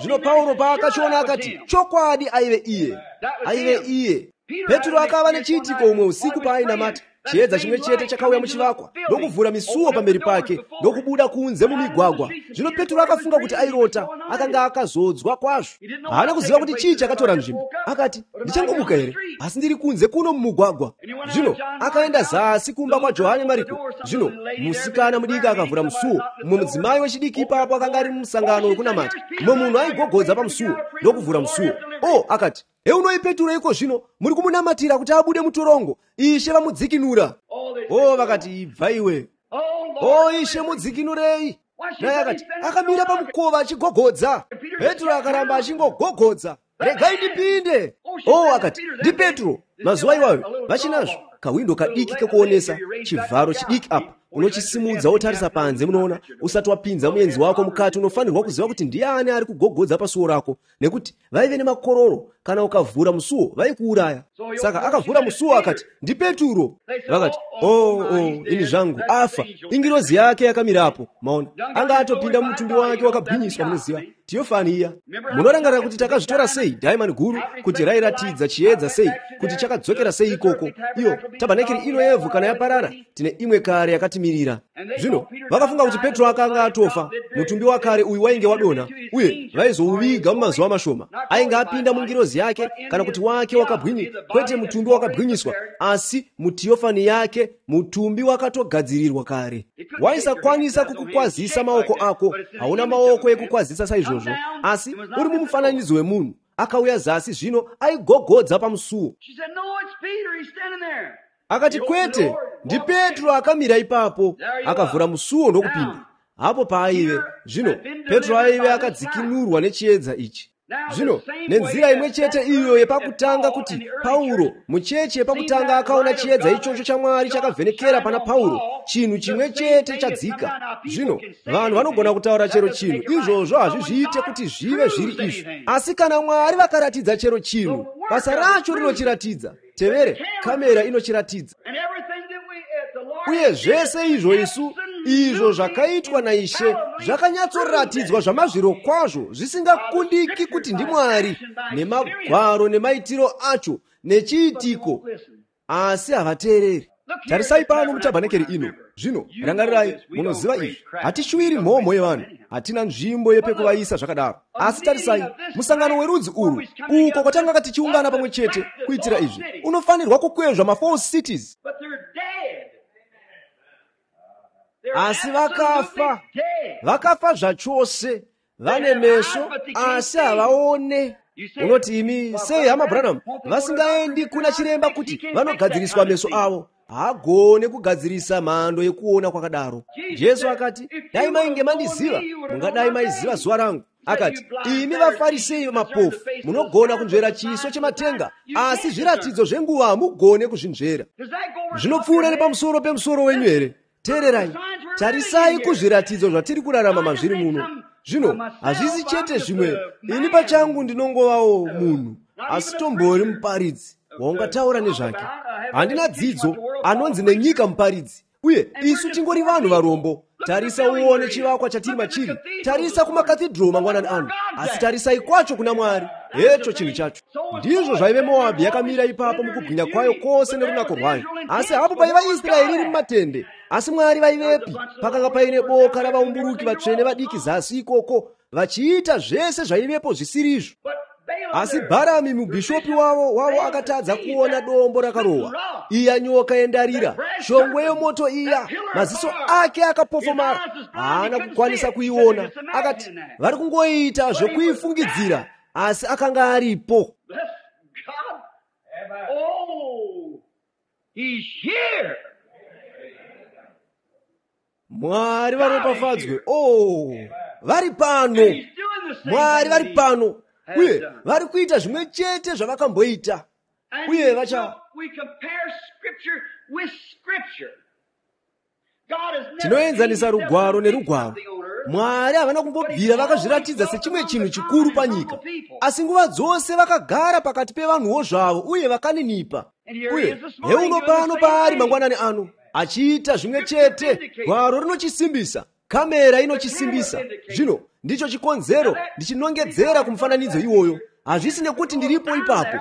Speaker 1: Zvino Pauro paakachiona akati, chokwadi aive iye, aive iye. Petro akava nechiitiko umwe usiku paainamata. Chiedza chimwe chete chakauya muchivakwa ndokuvhura misuo pamberi pake ndokubuda kunze mumigwagwa. Zvino Petro akafunga kuti airota, akanga akazodzwa kwazvo. Haana kuziva kuti chii chakatora nzvimbo. Akati, ndichangomuka here? Asi ndiri kunze kuno mumugwagwa. Zvino akaenda zasi kumba kwaJohane Mariko. Zvino musikana mudiki akavhura musuo. Mumwe mudzimai wechidiki ipapo akanga ari mumusangano wekunamata. Mumwe munhu aigogodza pamusuo ndokuvhura musuo. O, akati, heunoi Petro iko zvino, muri kumunamatira kuti abude mutorongo. Ishe vamudzikinura. O, vakati, ibva iwe. O, Ishe, mudzikinurei. Naye akati, akamira pamukova achigogodza. Petro akaramba achingogogodza. Regai ndipinde. O, akati, ndiPetro. Mazuva iwayo vachinazvo kawindo kadiki kekuonesa, chivharo chidiki apa, unochisimudza wotarisa panze. Munoona, usati wapinza muenzi wako mukati, unofanirwa kuziva kuti ndiani ari kugogodza pasuo rako, nekuti vaive nemakororo. Kana ukavhura musuo vaikuuraya. Saka akavhura musuo akati, ndiPetro. Vakati, oh, oh, ini zvangu, afa. Ingirozi yake yakamirapo. Maona, anga atopinda mumutumbi wake wakabwinyiswa. Munoziva tiyofani iya. Munorangarira kuti takazvitora sei diamond guru, kuti rairatidza chiedza sei, kuti chakadzokera sei ikoko. Iyo tabhanekeri ino yevhu kana yaparara, tine imwe kare yakatimirira. Zvino vakafunga kuti Petro akanga atofa. Mutumbi wakare uyu wainge wadonha, uye vaizouviga mumazuva mashoma. Ainge apinda mungirozi yake, kana kuti wake wakabwinyi, kwete mutumbi wakabwinyiswa, asi mutiyofani yake, mutumbi wakatogadzirirwa kare. Waisakwanisa kukukwazisa maoko ako, hauna maoko ekukwazisa saizvozvo, asi uri mumufananidzo wemunhu. Akauya zasi zvino aigogodza pamusuo. Akati, kwete, ndiPetro akamira ipapo. Akavhura musuo ndokupinda. Hapo paaive. Zvino Petro aive akadzikinurwa nechiedza ichi. Zvino nenzira imwe chete iyo yepakutanga kuti Pauro mucheche yepakutanga akaona chiedza ichocho chaMwari chakavhenekera pana Pauro, chinhu chimwe chete chadzika. Zvino vanhu vanogona kutaura chero chinhu, izvozvo hazvizviite kuti zvive zviri izvo. Asi kana Mwari vakaratidza chero chinhu, basa racho rinochiratidza. Tevere, kamera inochiratidza. Uye zvese izvo isu, izvo zvakaitwa naIshe zvakanyatsoratidzwa zvamazviro kwazvo, zvisingakundiki kuti ndiMwari, nemagwaro nemaitiro acho nechiitiko, asi havateereri. Tarisai pano mutabhanekeri ino. Zvino rangarirai, munoziva izvi, hatishuwiri mhomho yevanhu, hatina nzvimbo yepekuvaisa zvakadaro. Asi tarisai, musangano werudzi urwu, uko kwatanga tichiungana pamwe chete kuitira izvi, unofanirwa kukwezva mafour cities. Asi vakafa, vakafa zvachose, vane meso asi havaone. Unoti imi, sei hama Branham vasingaendi kuna chiremba kuti vanogadziriswa meso avo? Haagone kugadzirisa mhando yekuona kwakadaro. Jesu akati, dai mainge mandiziva, mungadai maiziva zuva rangu. Akati, imi vaFarisei mapofu, munogona kunzvera chiso chematenga, asi zviratidzo zvenguva hamugone kuzvinzvera. Zvinopfuura nepamusoro pemusoro wenyu here? Teererai, tarisai kuzviratidzo zvatiri kurarama mazviri muno. Zvino hazvisi chete zvimwe, ini pachangu ndinongovawo munhu, asi tombori muparidzi waungataura nezvake. Handina dzidzo, anonzi nenyika muparidzi, uye isu tingori vanhu varombo. Tarisa uone chivakwa chatiri machiri. Tarisa kumakathidhro mangwanani ano, asi tarisai kwacho kuna Mwari. Hecho chinhu chacho. Ndizvo zvaive Moabhi yakamira ipapo mukubwinya kwayo kwose nerunako rwayo, asi hapo paiva Israeri iri mumatende. Asi Mwari vaivepi? Pakanga paine boka ravaumburuki vatsvene vadiki zasi ikoko, vachiita zvese zvaivepo zvisirizvo. Asi Bharami mubhishopi wavo wavo akatadza kuona dombo rakarohwa, iya nyoka yendarira, shongwe yomoto iya. Maziso ake akapofomara, haana kukwanisa kuiona. Akati vari kungoita zvokuifungidzira, asi akanga aripo. Mwari varopafadzwe. Oh, vari pano. Mwari vari pano, uye vari kuita zvimwe chete zvavakamboita. Uye vacha tinoenzanisa rugwaro nerugwaro. Mwari havana kumbobvira vakazviratidza sechimwe chinhu chikuru panyika, asi nguva dzose vakagara pakati pevanhuwo zvavo uye vakaninipa. Uye heuno pano paari mangwanani ano achiita zvimwe chete. Gwaro rinochisimbisa, kamera inochisimbisa. Zvino ndicho chikonzero ndichinongedzera kumufananidzo iwoyo. Hazvisi nekuti ndiripo ipapo,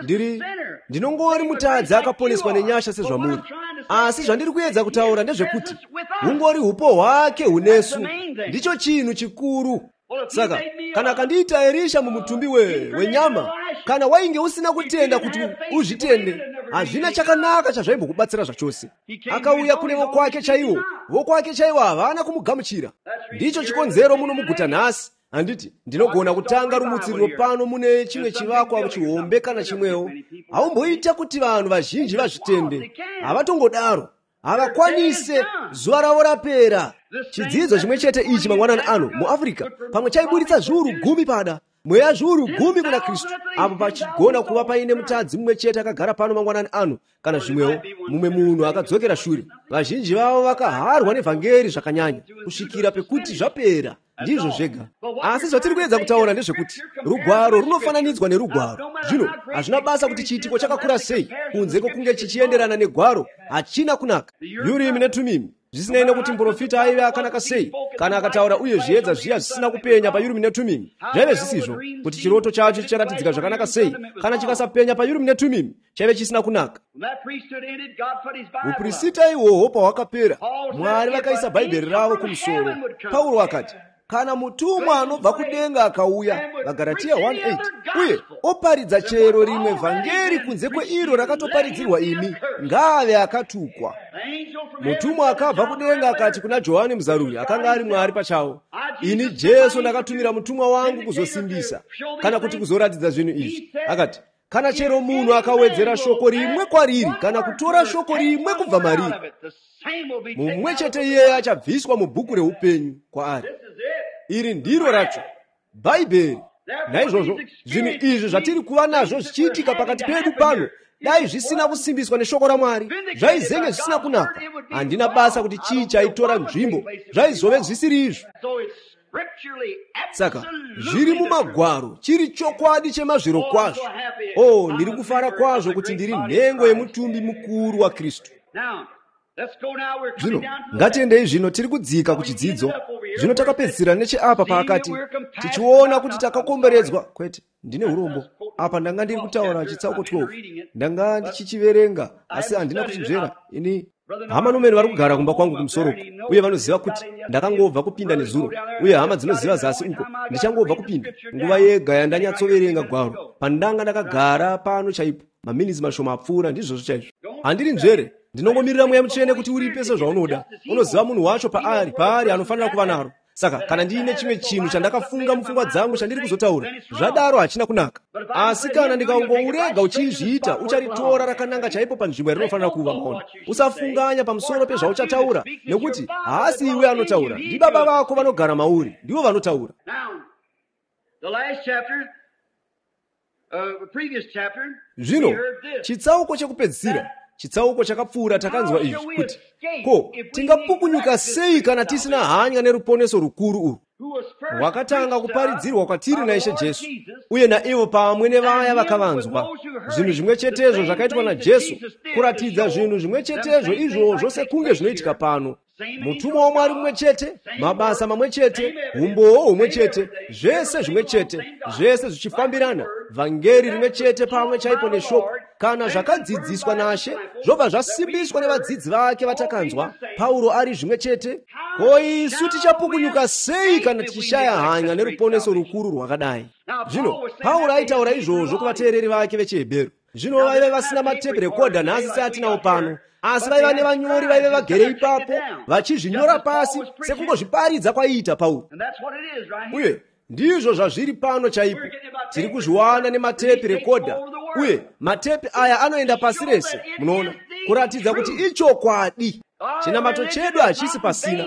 Speaker 1: ndiri ndinongori mutadzi akaponeswa nenyasha sezvamuri, asi zvandiri kuedza kutaura ndezvekuti hungori upo hwake hunesu. Ndicho chinhu chikuru. Saka kana akandiita Erisha mumutumbi wenyama, kana wainge usina kutenda kuti uzvitende, hazvina chakanaka chazvaimbokubatsira zvachose. Akauya kune vokwake chaiwo, vokwake chaiwo havana kumugamuchira. Ndicho chikonzero muno muguta nhasi. Handiti ndinogona kutanga rumutsiriro pano mune chimwe chivakwa chihombe kana chimwewo. Haumboita kuti vanhu vazhinji vazvitende, havatongodaro, havakwanise. Zuva ravo rapera. Chidzidzo chimwe chete ichi mangwanani ano muAfrica pamwe chaiburitsa zviuru gumi pada mweya zviuru gumi kuna Kristu, apo pachigona kuva paine mutadzi mumwe chete akagara pano mangwanani ano, kana zvimwewo mumwe munhu akadzokera shure. Vazhinji vavo vakaharwa nevhangeri zvakanyanya kusvikira pekuti zvapera. Ndizvo zvega. Asi zvatiri kuedza kutaura ndezvekuti rugwaro runofananidzwa nerugwaro. Zvino hazvina basa kuti chiitiko chakakura sei, kunze kwokunge chichienderana negwaro, hachina kunaka. Urimi neTumimi, zvisinei nekuti muprofita aive akanaka sei, kana akataura uye zviedza zviya zvisina kupenya paUrimi neTumimi, zvaive zvisizvo. Kuti chiroto chacho chicharatidzika zvakanaka sei, kana chikasapenya paUrimi neTumimi, chaive chisina kunaka. Upurisita ihwohwo pahwakapera, Mwari vakaisa Bhaibheri ravo kumusoro. Pauro akati, kana mutumwa anobva kudenga akauya, vaGaratia one eight, uye oparidza chero rimwe vhangeri kunze kweiro rakatoparidzirwa imi, ngaave akatukwa. Mutumwa akabva kudenga akati kuna Johani Muzaruri, akanga ari Mwari pachawo, ini Jesu ndakatumira mutumwa wangu kuzosimbisa, kana kuti kuzoratidza zvinhu izvi. Akati, kana chero munhu akawedzera shoko rimwe kwariri, kana kutora shoko rimwe kubva mariri, mumwe chete iyeye achabviswa mubhuku reupenyu kwaari. Iri ndiro racho Bhaibheri. Naizvozvo zvinhu izvi zvatiri kuva nazvo zvichiitika pakati pedu pano, dai zvisina kusimbiswa neshoko raMwari, zvaizenge zvisina kunaka. Handina basa kuti chii chaitora nzvimbo, zvaizove zvisiri izvo. Saka zviri mumagwaro, chiri chokwadi chemazviro kwazvo. Oh, ndiri kufara kwazvo kuti ndiri nhengo yemutumbi mukuru waKristu. Zvino ngatiendei zvino, tiri kudzika kuchidzidzo. Zvino takapedzisira necheapa paakati tichiona kuti takakomberedzwa. Kwete, ndine urombo apa ndanga ndiri kutaura chitsauko twelve, ndanga ndichichiverenga asi handina kuchinzvera. Ini hama nomene vari kugara kumba kwangu kumusoro uye vanoziva kuti ndakangobva kupinda nezuro, uye hama dzinoziva zasi uko ndichangobva kupinda. Nguva yega yandanyatsoverenga gwaro pandanga ndakagara pano chaipo maminitsi mashoma apfuura, ndizvozvo chaizvo. Handiri nzvere, ndinongomirira Mweya Mutsvene kuti uripe sezvaunoda. Unoziva munhu wacho paari paari anofanira kuva naro. Saka kana ndiine chimwe chinhu chandakafunga mupfungwa dzangu chandiri kuzotaura, zvadaro hachina kunaka. Asi kana ndikangourega uchizviita, ucharitora rakananga chaipo panzvimbo yarinofanira kuva. Maona, usafunganya pamusoro pezvauchataura, nekuti haasi iwe anotaura, ndibaba vako vanogara mauri, ndivo vanotaura. Zvino chitsauko chekupedzisira, chitsauko chakapfuura, takanzwa izvi kuti ko tingapukunyuka sei kana tisina hanya neruponeso rukuru urwu rwakatanga kuparidzirwa kwatiri naIshe Jesu, uye naivo pamwe nevaya vakavanzwa. Zvinhu zvimwe chetezvo zvakaitwa naJesu, kuratidza zvinhu zvimwe chetezvo izvozvo sekunge zvinoitika pano. Mutumwa waMwari mumwe chete, mabasa mamwe chete, umbowo humwe chete, zvese zvimwe chete, zvese zvichifambirana, vhangeri rimwe chete pamwe chaipo neshoko. Kana zvakadzidziswa naShe zvobva zvasimbiswa nevadzidzi vake vatakanzwa, Pauro ari zvimwe chete. Ko isu tichapukunyuka sei kana tichishaya hanya neruponeso rukuru rwakadai? Zvino Pauro aitaura izvozvo kuvateereri vake vechiHebheru. Zvino vaive vasina matepi rekodha nhasi seatinawo pano, asi vaiva nevanyori vaive vagere ipapo vachizvinyora pasi sekungozviparidza kwaiita Pauro. Uye ndizvo zvazviri pano chaipo. Tiri kuzviwana nematepi rekodha, uye matepi aya anoenda pasi rese, munoona, kuratidza kuti ichokwadi. Chinamato chedu hachisi pasina.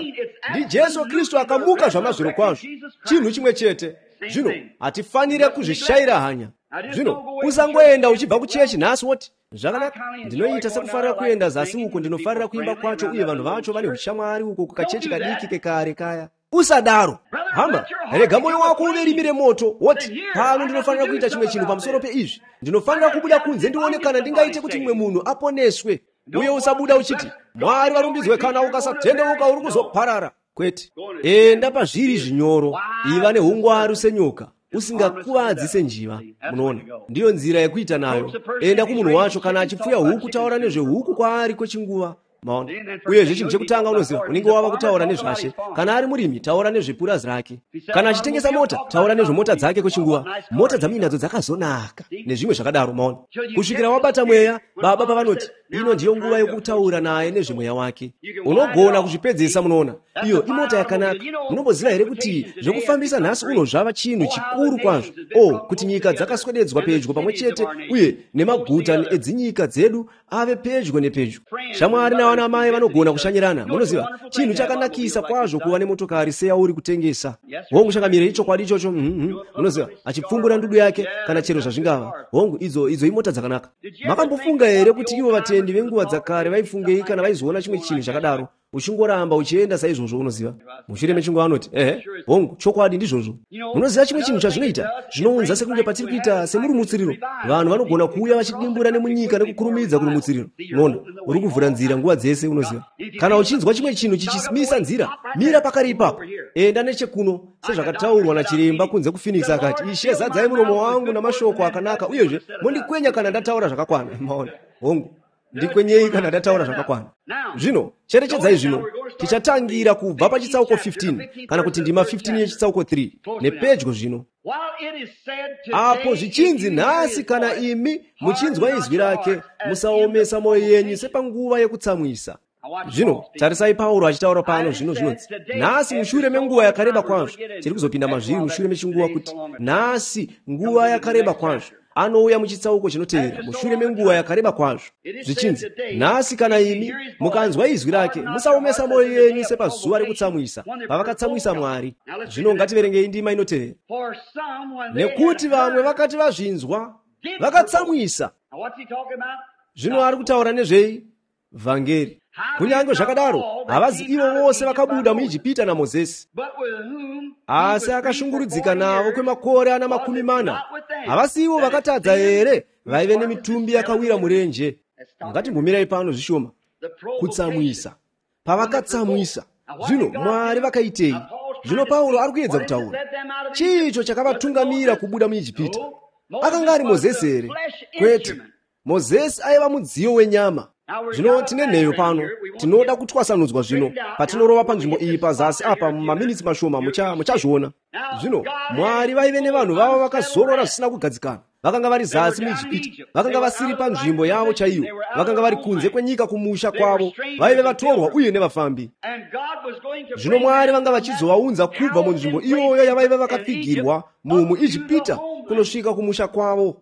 Speaker 1: NdiJesu Kristu akamuka zvamazvirokwazvo, chinhu chimwe chete. Zvino hatifanire kuzvishayira hanya. Zvino usangoenda uchibva kuchechi nhasi woti, zvakanaka, ndinoita sekufarira kuenda zasi uko, ndinofarira kuimba kwacho uye vanhu vacho vane ushamwari uko kukachechi kadiki kekare kaya. Usadaro hama, rega mwoyo wako uve rimi remoto, woti pano ndinofanira kuita chimwe chinhu pamusoro peizvi. Ndinofanira kubuda kunze ndione kana ndingaite kuti mumwe munhu aponeswe. Uye usabuda uchiti, Mwari varumbidzwe, kana ukasatendeuka uri kuzoparara. Kwete, enda pazviri zvinyoro, iva neungwaru senyoka, usingakuvadzi senjiva. Munoona, ndiyo nzira yekuita nayo. Enda kumunhu wacho, kana achipfuya huku, taura nezvehuku kwaari kwechinguva. Maona? Uyezve chinhu chekutanga unoziva, unenge wava kutaura nezvashe. Kana ari murimi, taura nezvepurazi rake. Kana achitengesa mota, taura nezvemota dzake kwechinguva. Mota dzamuinadzo dzakazonaka, nezvimwe zvakadaro. Maona? Kusvikira wabata mweya, baba pavanoti, ino ndiyo nguva yokutaura naye nezvemweya wake. Unogona kuzvipedzesa, munoona. Iyo imota yakanaka. Munomboziva here kuti zvekufambisa nhasi uno zvava chinhu chikuru kwazvo? O, kuti nyika dzakaswededzwa pedyo pamwe chete, uye nemaguta edzinyika dzedu ave pedyo nepedyo. Shamwari navana mai vanogona kushanyirana. Munoziva, chinhu chakanakisa kwazvo kuva nemotokari seyauri kutengesa. Hongu, changamire, ichokwadi ichocho. Munoziva, achipfumbura ndudu yake kana chero zvazvingava. Hongu, idzo idzo imota dzakanaka. Makambofunga here kuti ivo vatendi venguva dzakare vaifungei kana vaizoona chimwe chinhu chakadaro? Uchingoramba uchienda saizvozvo, unoziva. Mushure mechinguva anoti, ehe, hongu, chokwadi ndizvozvo. Munoziva chimwe chinhu chazvinoita? Zvinounza sekunge patiri kuita semurumutsiriro. Vanhu vanogona kuuya vachidimbura nemunyika nekukurumidza kurumutsiriro. Unoona, uri kuvhura nzira nguva dzese, unoziva. Kana uchinzwa chimwe chinhu chichimisa nzira, mira pakare ipapo. Enda nechekuno, sezvakataurwa nachiremba kunze kuPhoenix akati, Ishe, zadzai muromo wangu namashoko akanaka, uyezve mondikwenya kana ndataura zvakakwana. Maona? Hongu, ndikwenyei kana ndataura zvakakwana. Zvino cherechedzai, zvino tichatangira kubva pachitsauko fifteen, kana kuti ndima fifteen yechitsauko three, nepedyo zvino. Apo zvichinzi nhasi, kana imi muchinzwa izwi rake, musaomesa mwoyo yenyu sepanguva yekutsamwisa. Zvino tarisai Pauro achitaura pano zvino zvinonzi, nhasi mushure menguva yakareba kwazvo. Tiri kuzopinda mazviri mushure mechinguva kuti nhasi nguva yakareba kwazvo. Anouya muchitsauko chinotevera mushure menguva yakareba kwazvo. Zvichinzi, nhasi kana imi mukanzwa izwi rake, musaomesa mwoyo yenyu sepazuva rekutsamwisa, pavakatsamwisa Mwari. Zvino ngativerengei ndima inotevera. Nekuti vamwe vakati vazvinzwa, vakatsamwisa. Zvino ari kutaura nezvei? Vhangeri. Kunyange zvakadaro, havazi ivo vose vakabuda muIjipita naMozisi, asi akashungurudzika navo kwemakore ana makumi mana. Havasi ivo vakatadza here vaive nemitumbi yakawira murenje? Ngatimbomirai pano zvishoma. Kutsamwisa. Pavakatsamwisa, zvino Mwari vakaitei? Zvino Pauro ari kuedza kutaura. Chii icho chakavatungamira kubuda muIjipita? Akanga ari Mozisi here? Kwete. Mozisi aiva mudziyo wenyama. Zvino tine nheyo pano, tinoda kutwasanudzwa zvino. Patinorova panzvimbo iyi pazasi apa mumaminitsi mashoma, muchazviona. Zvino Mwari vaive nevanhu vavo vakazorora zvisina kugadzikana. Vakanga vari zasi muIjipita, vakanga vasiri panzvimbo yavo chaiyo, vakanga vari kunze kwenyika kumusha kwavo, vaive vatorwa uye nevafambi. Zvino Mwari vanga vachizovaunza kubva munzvimbo iyoyo yavaive vakapfigirwa muIjipita kunosvika kumusha kwavo.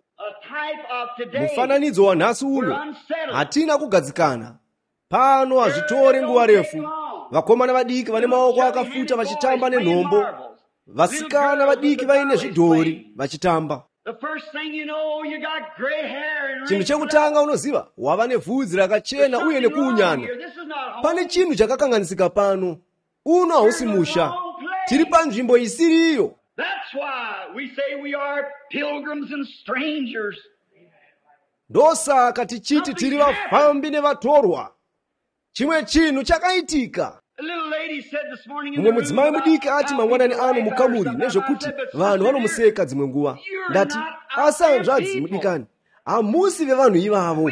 Speaker 1: Mufananidzo wanhasi uno, hatina kugadzikana. Pano hazvitore nguva refu. Vakomana vadiki vane maoko akafuta vachitamba nenhombo, vasikana vadiki vaine zvidhori vachitamba. Chinhu chekutanga unoziva, wava nevhudzi rakachena uye nekuunyana. Pane chinhu chakakanganisika pano. Uno hausi musha. Tiri panzvimbo isiriyo. Ndosaka tichiti tiri vafambi nevatorwa. Chimwe chinhu chakaitika. Mumwe mudzimai mudiki ati mangwanani ano mukamuri nezvekuti vanhu vanomuseka dzimwe nguva. Ndati, asi hanzvadzi mudikani, hamusi vevanhu ivavo.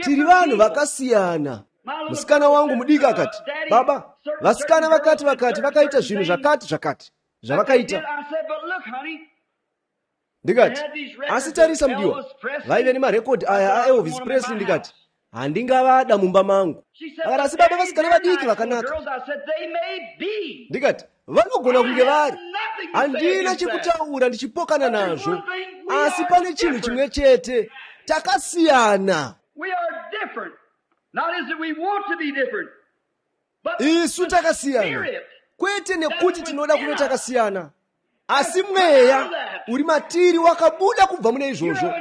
Speaker 1: Tiri vanhu vakasiyana. Musikana wangu mudiki akati, baba, vasikana vakati vakati vakaita zvinhu zvakati zvakati zvavakaita. Ndikati, asi tarisa mudiwa, vaive nemarekodhi aya aElvis Presley. Ndikati, handingavada mumba mangu. Akati, asi baba, vasikana vadiki vakanaka. Ndikati, vanogona kunge vari, handina chekutaura ndichipokana nazvo, asi pane chinhu chimwe chete, takasiyana. Isu takasiyana, kwete nekuti tinoda kuve takasiyana, asi mweya uri matiri wakabuda kubva mune izvozvo,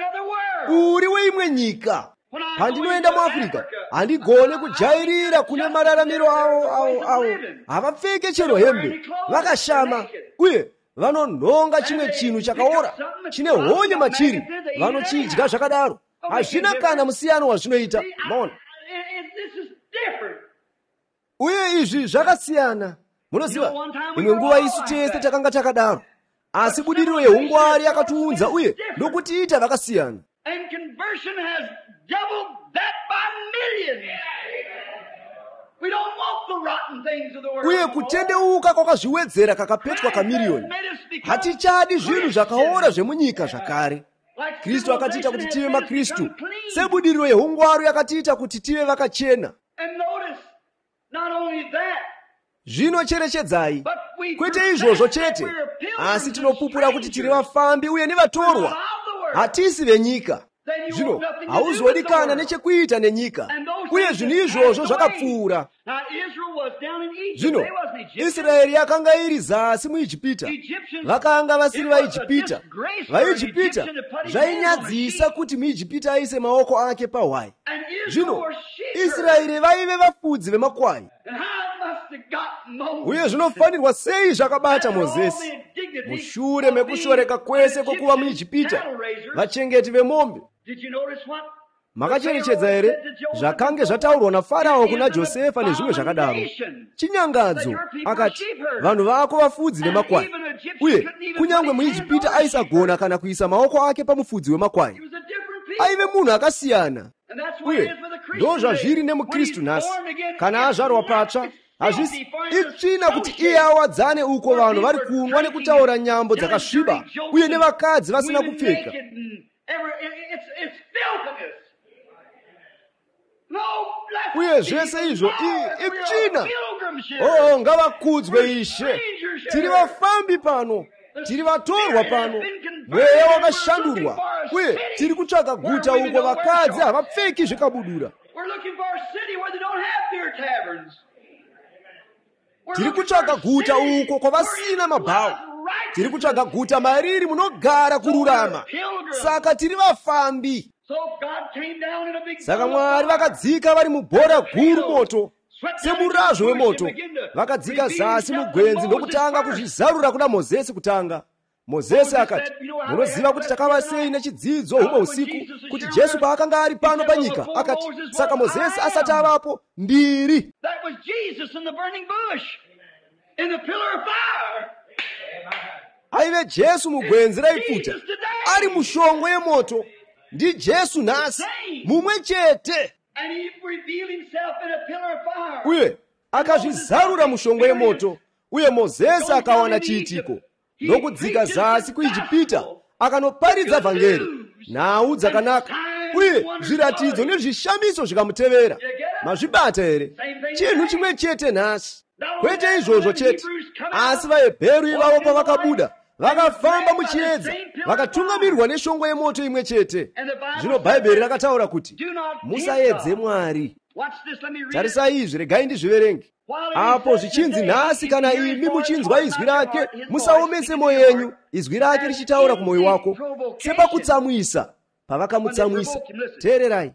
Speaker 1: uri weimwe nyika. Pandinoenda muAfrica, handigone kujairira kune mararamiro avo avo avo. Havapfeke chero hembe, vakashama, uye vanonhonga chimwe chinhu chakaora chine honye machiri, vanochidya zvakadaro. Hazvina kana musiyano wazvinoita. Maona? Uye izvi zvakasiyana. Munoziva, imwe nguva isu tese takanga takadaro, asi budiriro yeungwari yakatiunza uye nokutiita vakasiyana.
Speaker 2: And conversion has doubled that by millions. We don't want the rotten things of the world.
Speaker 1: Uye kutendeuka kwakazviwedzera kakapetwa kamiriyoni. Hatichadi zvinhu zvakaora zvemunyika zvakare. Kristu akatiita kuti tive maKristu. Sebudiriro yeungwaru yakatiita kuti tive vakachena. Zvino cherechedzai, kwete izvozvo chete, asi tinopupura kuti tiri vafambi uye nevatorwa. Hatisi venyika. Zvino hauzodi kana nechekuita nenyika, uye zvinhu izvozvo zvakapfuura. Zvino Israeri yakanga iri zasi muIjipita, vakanga vasiri vaIjipita. VaIjipita zvainyadzisa kuti muIjipita aise maoko ake pahwai. Zvino Israeri vaive vafudzi vemakwai. Uye zvinofanirwa sei zvakabata Mozesi mushure mekushoreka kwese kwekuva muIjipita, vachengeti vemombe. Makacherechedza here zvakange zvataurwa naFarao kuna Josefa nezvimwe zvakadaro? Chinyangadzo akati, vanhu vako vafudzi vemakwai. Uye kunyange muIjipita aisagona kana kuisa maoko ake pamufudzi wemakwai. Aive munhu akasiyana. Uye ndo zvazviri nemuKristu nhasi. Kana azvarwa patsva, hazvisi itsvina kuti iye awadzane uko vanhu vari kunwa nekutaura nyambo dzakasviba uye nevakadzi vasina kupfeka. Uye zvese izvo itsvina. Oh, ngavakudzwe Ishe. Tiri vafambi pano, tiri vatorwa pano. Mweya wakashandurwa, uye tiri kutsvaga guta uko vakadzi havapfeki zvikabudura. Tiri kutsvaga guta uko kwavasina mabhawa. Tiri kutsvaga guta mariri munogara kururama. Saka tiri vafambi. Saka Mwari vakadzika vari mubhora guru moto, semurazvo wemoto. Vakadzika zasi mugwenzi ndokutanga kuzvizarura kuna Mozesi kutanga. Mozesi akati, munoziva kuti takava sei nechidzidzo humwe usiku kuti Jesu paakanga ari pano panyika akati, saka Mozesi asati avapo, ndiri. Aive Jesu mugwenzi raipfuta, ari mushongwe yemoto. Ndi Jesu nhasi, mumwe chete. Uye akazvizarura mushongwe yemoto, uye Mozesi akawana chiitiko. Ndokudzika zasi kuIjipita akanoparidza vhangeri, nhau dzakanaka, uye zviratidzo nezvishamiso zvikamutevera. Mazvibata here? Chinhu chimwe chete nhasi. Kwete izvozvo chete, asi vaHebheru ivavo pavakabuda vakafamba muchiedza, vakatungamirirwa neshongwe yemoto imwe chete. Zvino Bhaibheri rakataura kuti musaedze Mwari. Tarisai izvi, regai ndizviverenge. Apo zvichinzi nhasi, kana imi muchinzwa izwi rake, musaomese mwoyo yenyu, izwi rake richitaura kumwoyo wako. Sepakutsamwisa, pavakamutsamwisa. Teererai.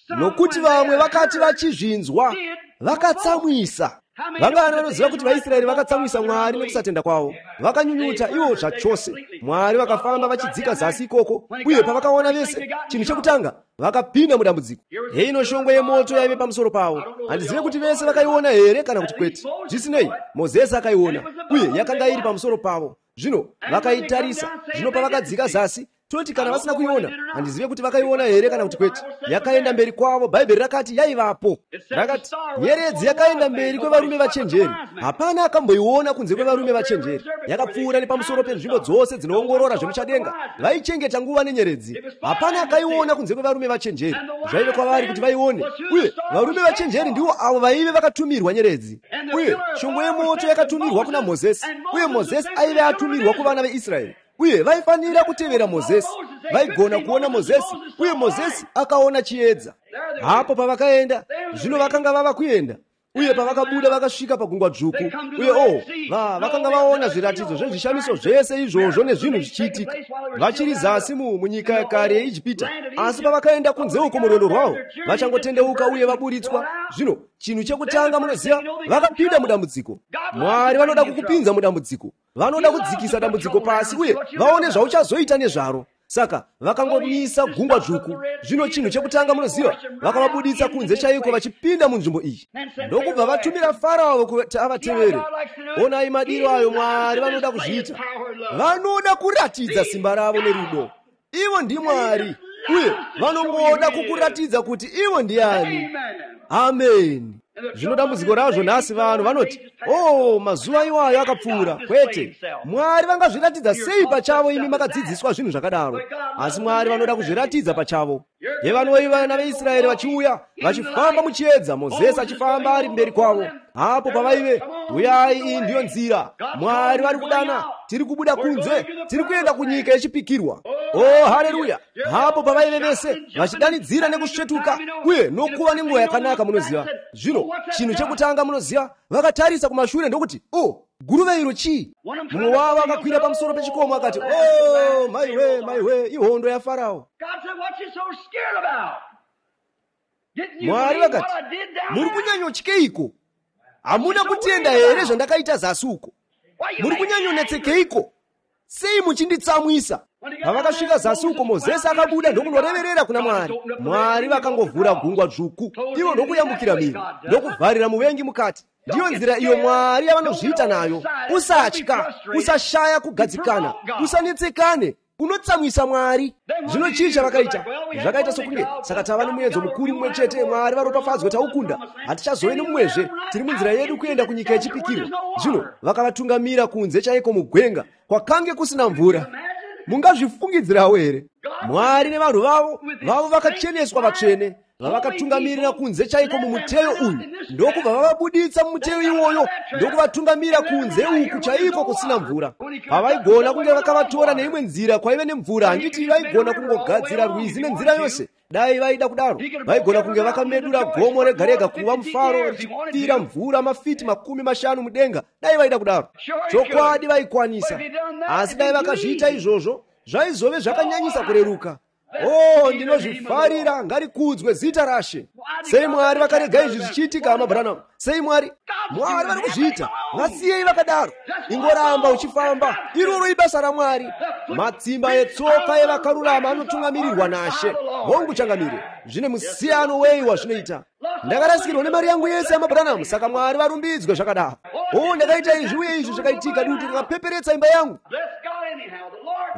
Speaker 1: Nokuti vamwe vakati vachizvinzwa, vakatsamwisa. Vangani vanoziva kuti vaIsraeri vakatsamwisa Mwari nekusatenda kwavo? Vakanyunyuta ivo zvachose. Mwari vakafamba vachidzika zasi ikoko, uye pavakaona vese, chinhu chekutanga Vakapinda mudambudziko. Heino shongwe yemoto yaive pamusoro pavo. Handizive kuti vese vakaiona here kana kuti kwete. Zvisinei, Mozesi akaiona, uye yakanga iri pamusoro pavo. Zvino vakaitarisa. Zvino pavakadzika zasi, toti kana vasina kuiona, handizive kuti vakaiona here kana kuti kwete. Yakaenda mberi kwavo. Bhaibheri rakati yaivapo. Rakati nyeredzi yakaenda mberi kwevarume vachenjeri. Hapana akamboiona kunze kwevarume vachenjeri. Yakapfuura nepamusoro penzvimbo dzose dzinoongorora zvemuchadenga. Vaichengeta nguva nenyeredzi. Hapana akaiona kunze kwevarume vachenjeri. Zvaive kwavari kuti vaione. Uye varume vachenjeri ndivo avo vaive vakatumirwa nyeredzi. Uye shongwe yemoto yakatumirwa kuna Mozesi. Uye Mozesi aive atumirwa kuvana veIsraeri. Uye vaifanira kutevera Mozesi. Vaigona kuona Mozesi, uye Mozesi akaona chiedza. Hapo pavakaenda, zvino vakanga vava kuenda. Uye pavakabuda vakasvika pagungwa dzvuku. Uye oh, va vakanga vaona zviratidzo zvezvishamiso zvese izvozvo nezvinhu zvichiitika. Vachiri zasi mu munyika yakare yeIjipita. Asi pavakaenda kunze uko murwendo rwavo, vachangotendeuka uye vaburitswa. Zvino chinhu chekutanga munoziva, vakapinda mudambudziko. Mwari vanoda kukupinza mudambudziko. Vanoda kudzikisa dambudziko pasi uye vaone zvauchazoita nezvaro. Saka vakangomisa gungwa dzvuku. Zvino chinhu chekutanga munoziva, vakavabuditsa kunze chaiko vachipinda munzvimbo iyi. Ndokubva vatumira Farao kuti avatevere. Onai madiro ayo Mwari vanoda kuzviita. Vanoda kuratidza simba ravo nerudo. Ivo ndiMwari, uye vanongoda kukuratidza kuti ivo ndiani. Amen. Zvino dambudziko razvo nhasi, vanhu vanoti, oh, mazuva iwayo akapfuura. Kwete. Mwari vangazviratidza sei pachavo imi makadzidziswa zvinhu zvakadaro? Asi Mwari vanoda kuzviratidza pachavo. Yevanoi vana veIsraeri vachiuya vachifamba muchiedza, Mozesi achifamba ari mberi kwavo. Hapo pavaive, uyai, iyi ndiyo nzira. Mwari vari kudana, tiri kubuda kunze, tiri kuenda kunyika yechipikirwa. Oh, haleluya! Hapo pavaive vese vachidanidzira nekusvetuka uye nokuva nenguva yakanaka, munoziva. Zvino chinhu chekutanga munoziva, vakatarisa kumashure ndokuti, oh, guruve iro chii? Mumwe wavo akakwira pamusoro pechikomo akati, oh, maiwe, maiwe, ihondo yaFarao. Mwari vakati, muri kunyanyotyeiko? Hamuna kutenda here zvandakaita zasi uko? Muri kunyanyonetsekeiko? Sei muchinditsamwisa? Pavakasvika zasi uko, Mozesi akabuda ndokunoreverera kuna Mwari. Mwari vakangovhura gungwa dzvuku, ivo ndokuyambukira mhiri, ndokuvharira muvengi mukati. Ndiyo nzira iyo Mwari yavanozviita nayo. Usatya, usashaya kugadzikana, usanetsekane, unotsamwisa Mwari. Zvino chii chavakaita? Zvakaita sokunge saka tava nemuedzo mukuru mumwe chete. Mwari varopafadzwe, taukunda, hatichazove nemumwezve. Tiri munzira yedu kuenda kunyika yechipikirwa. Zvino vakavatungamira kunze chaiko mugwenga kwakange kusina mvura. Mungazvifungidzirawo here? Mwari nevanhu vavo vavo vakacheneswa vatsvene, vavakatungamirira kunze chaiko mumuteyo uyu, ndokubva vavabuditsa mumuteyo iwoyo, ndokuvatungamira kunze uku chaiko kusina mvura. Pavaigona kunge vakavatora neimwe nzira kwaive nemvura, handiti vaigona kungogadzira rwizi nenzira yose. Dai vaida kudaro, vaigona kunge vakamedura gomo rega rega kuva mufaro richipfira mvura mafiti makumi mashanu mudenga. Dai vaida kudaro, chokwadi vaikwanisa. Asi dai vakazviita izvozvo, zvaizove zvakanyanyisa kureruka. Oh, ndinozvifarira, ngarikudzwe zita raShe. Sei Mwari vakarega izvi zvichiitika, hama Branham? Sei Mwari? Mwari vari kuzviita. Vasiyei vakadaro. Ingoramba uchifamba. Iroro ibasa raMwari. Matsimba etsoka evakarurama anotungamirirwa naShe. Hongu changamire. Zvine musiyano wei wazvinoita. Ndakarasikirwa nemari yangu yese, hama Branham, saka Mwari varumbidzwe zvakadaro. Oh, ndakaita izvi uye izvi zvakaitika, dutu rakapeperetsa imba yangu.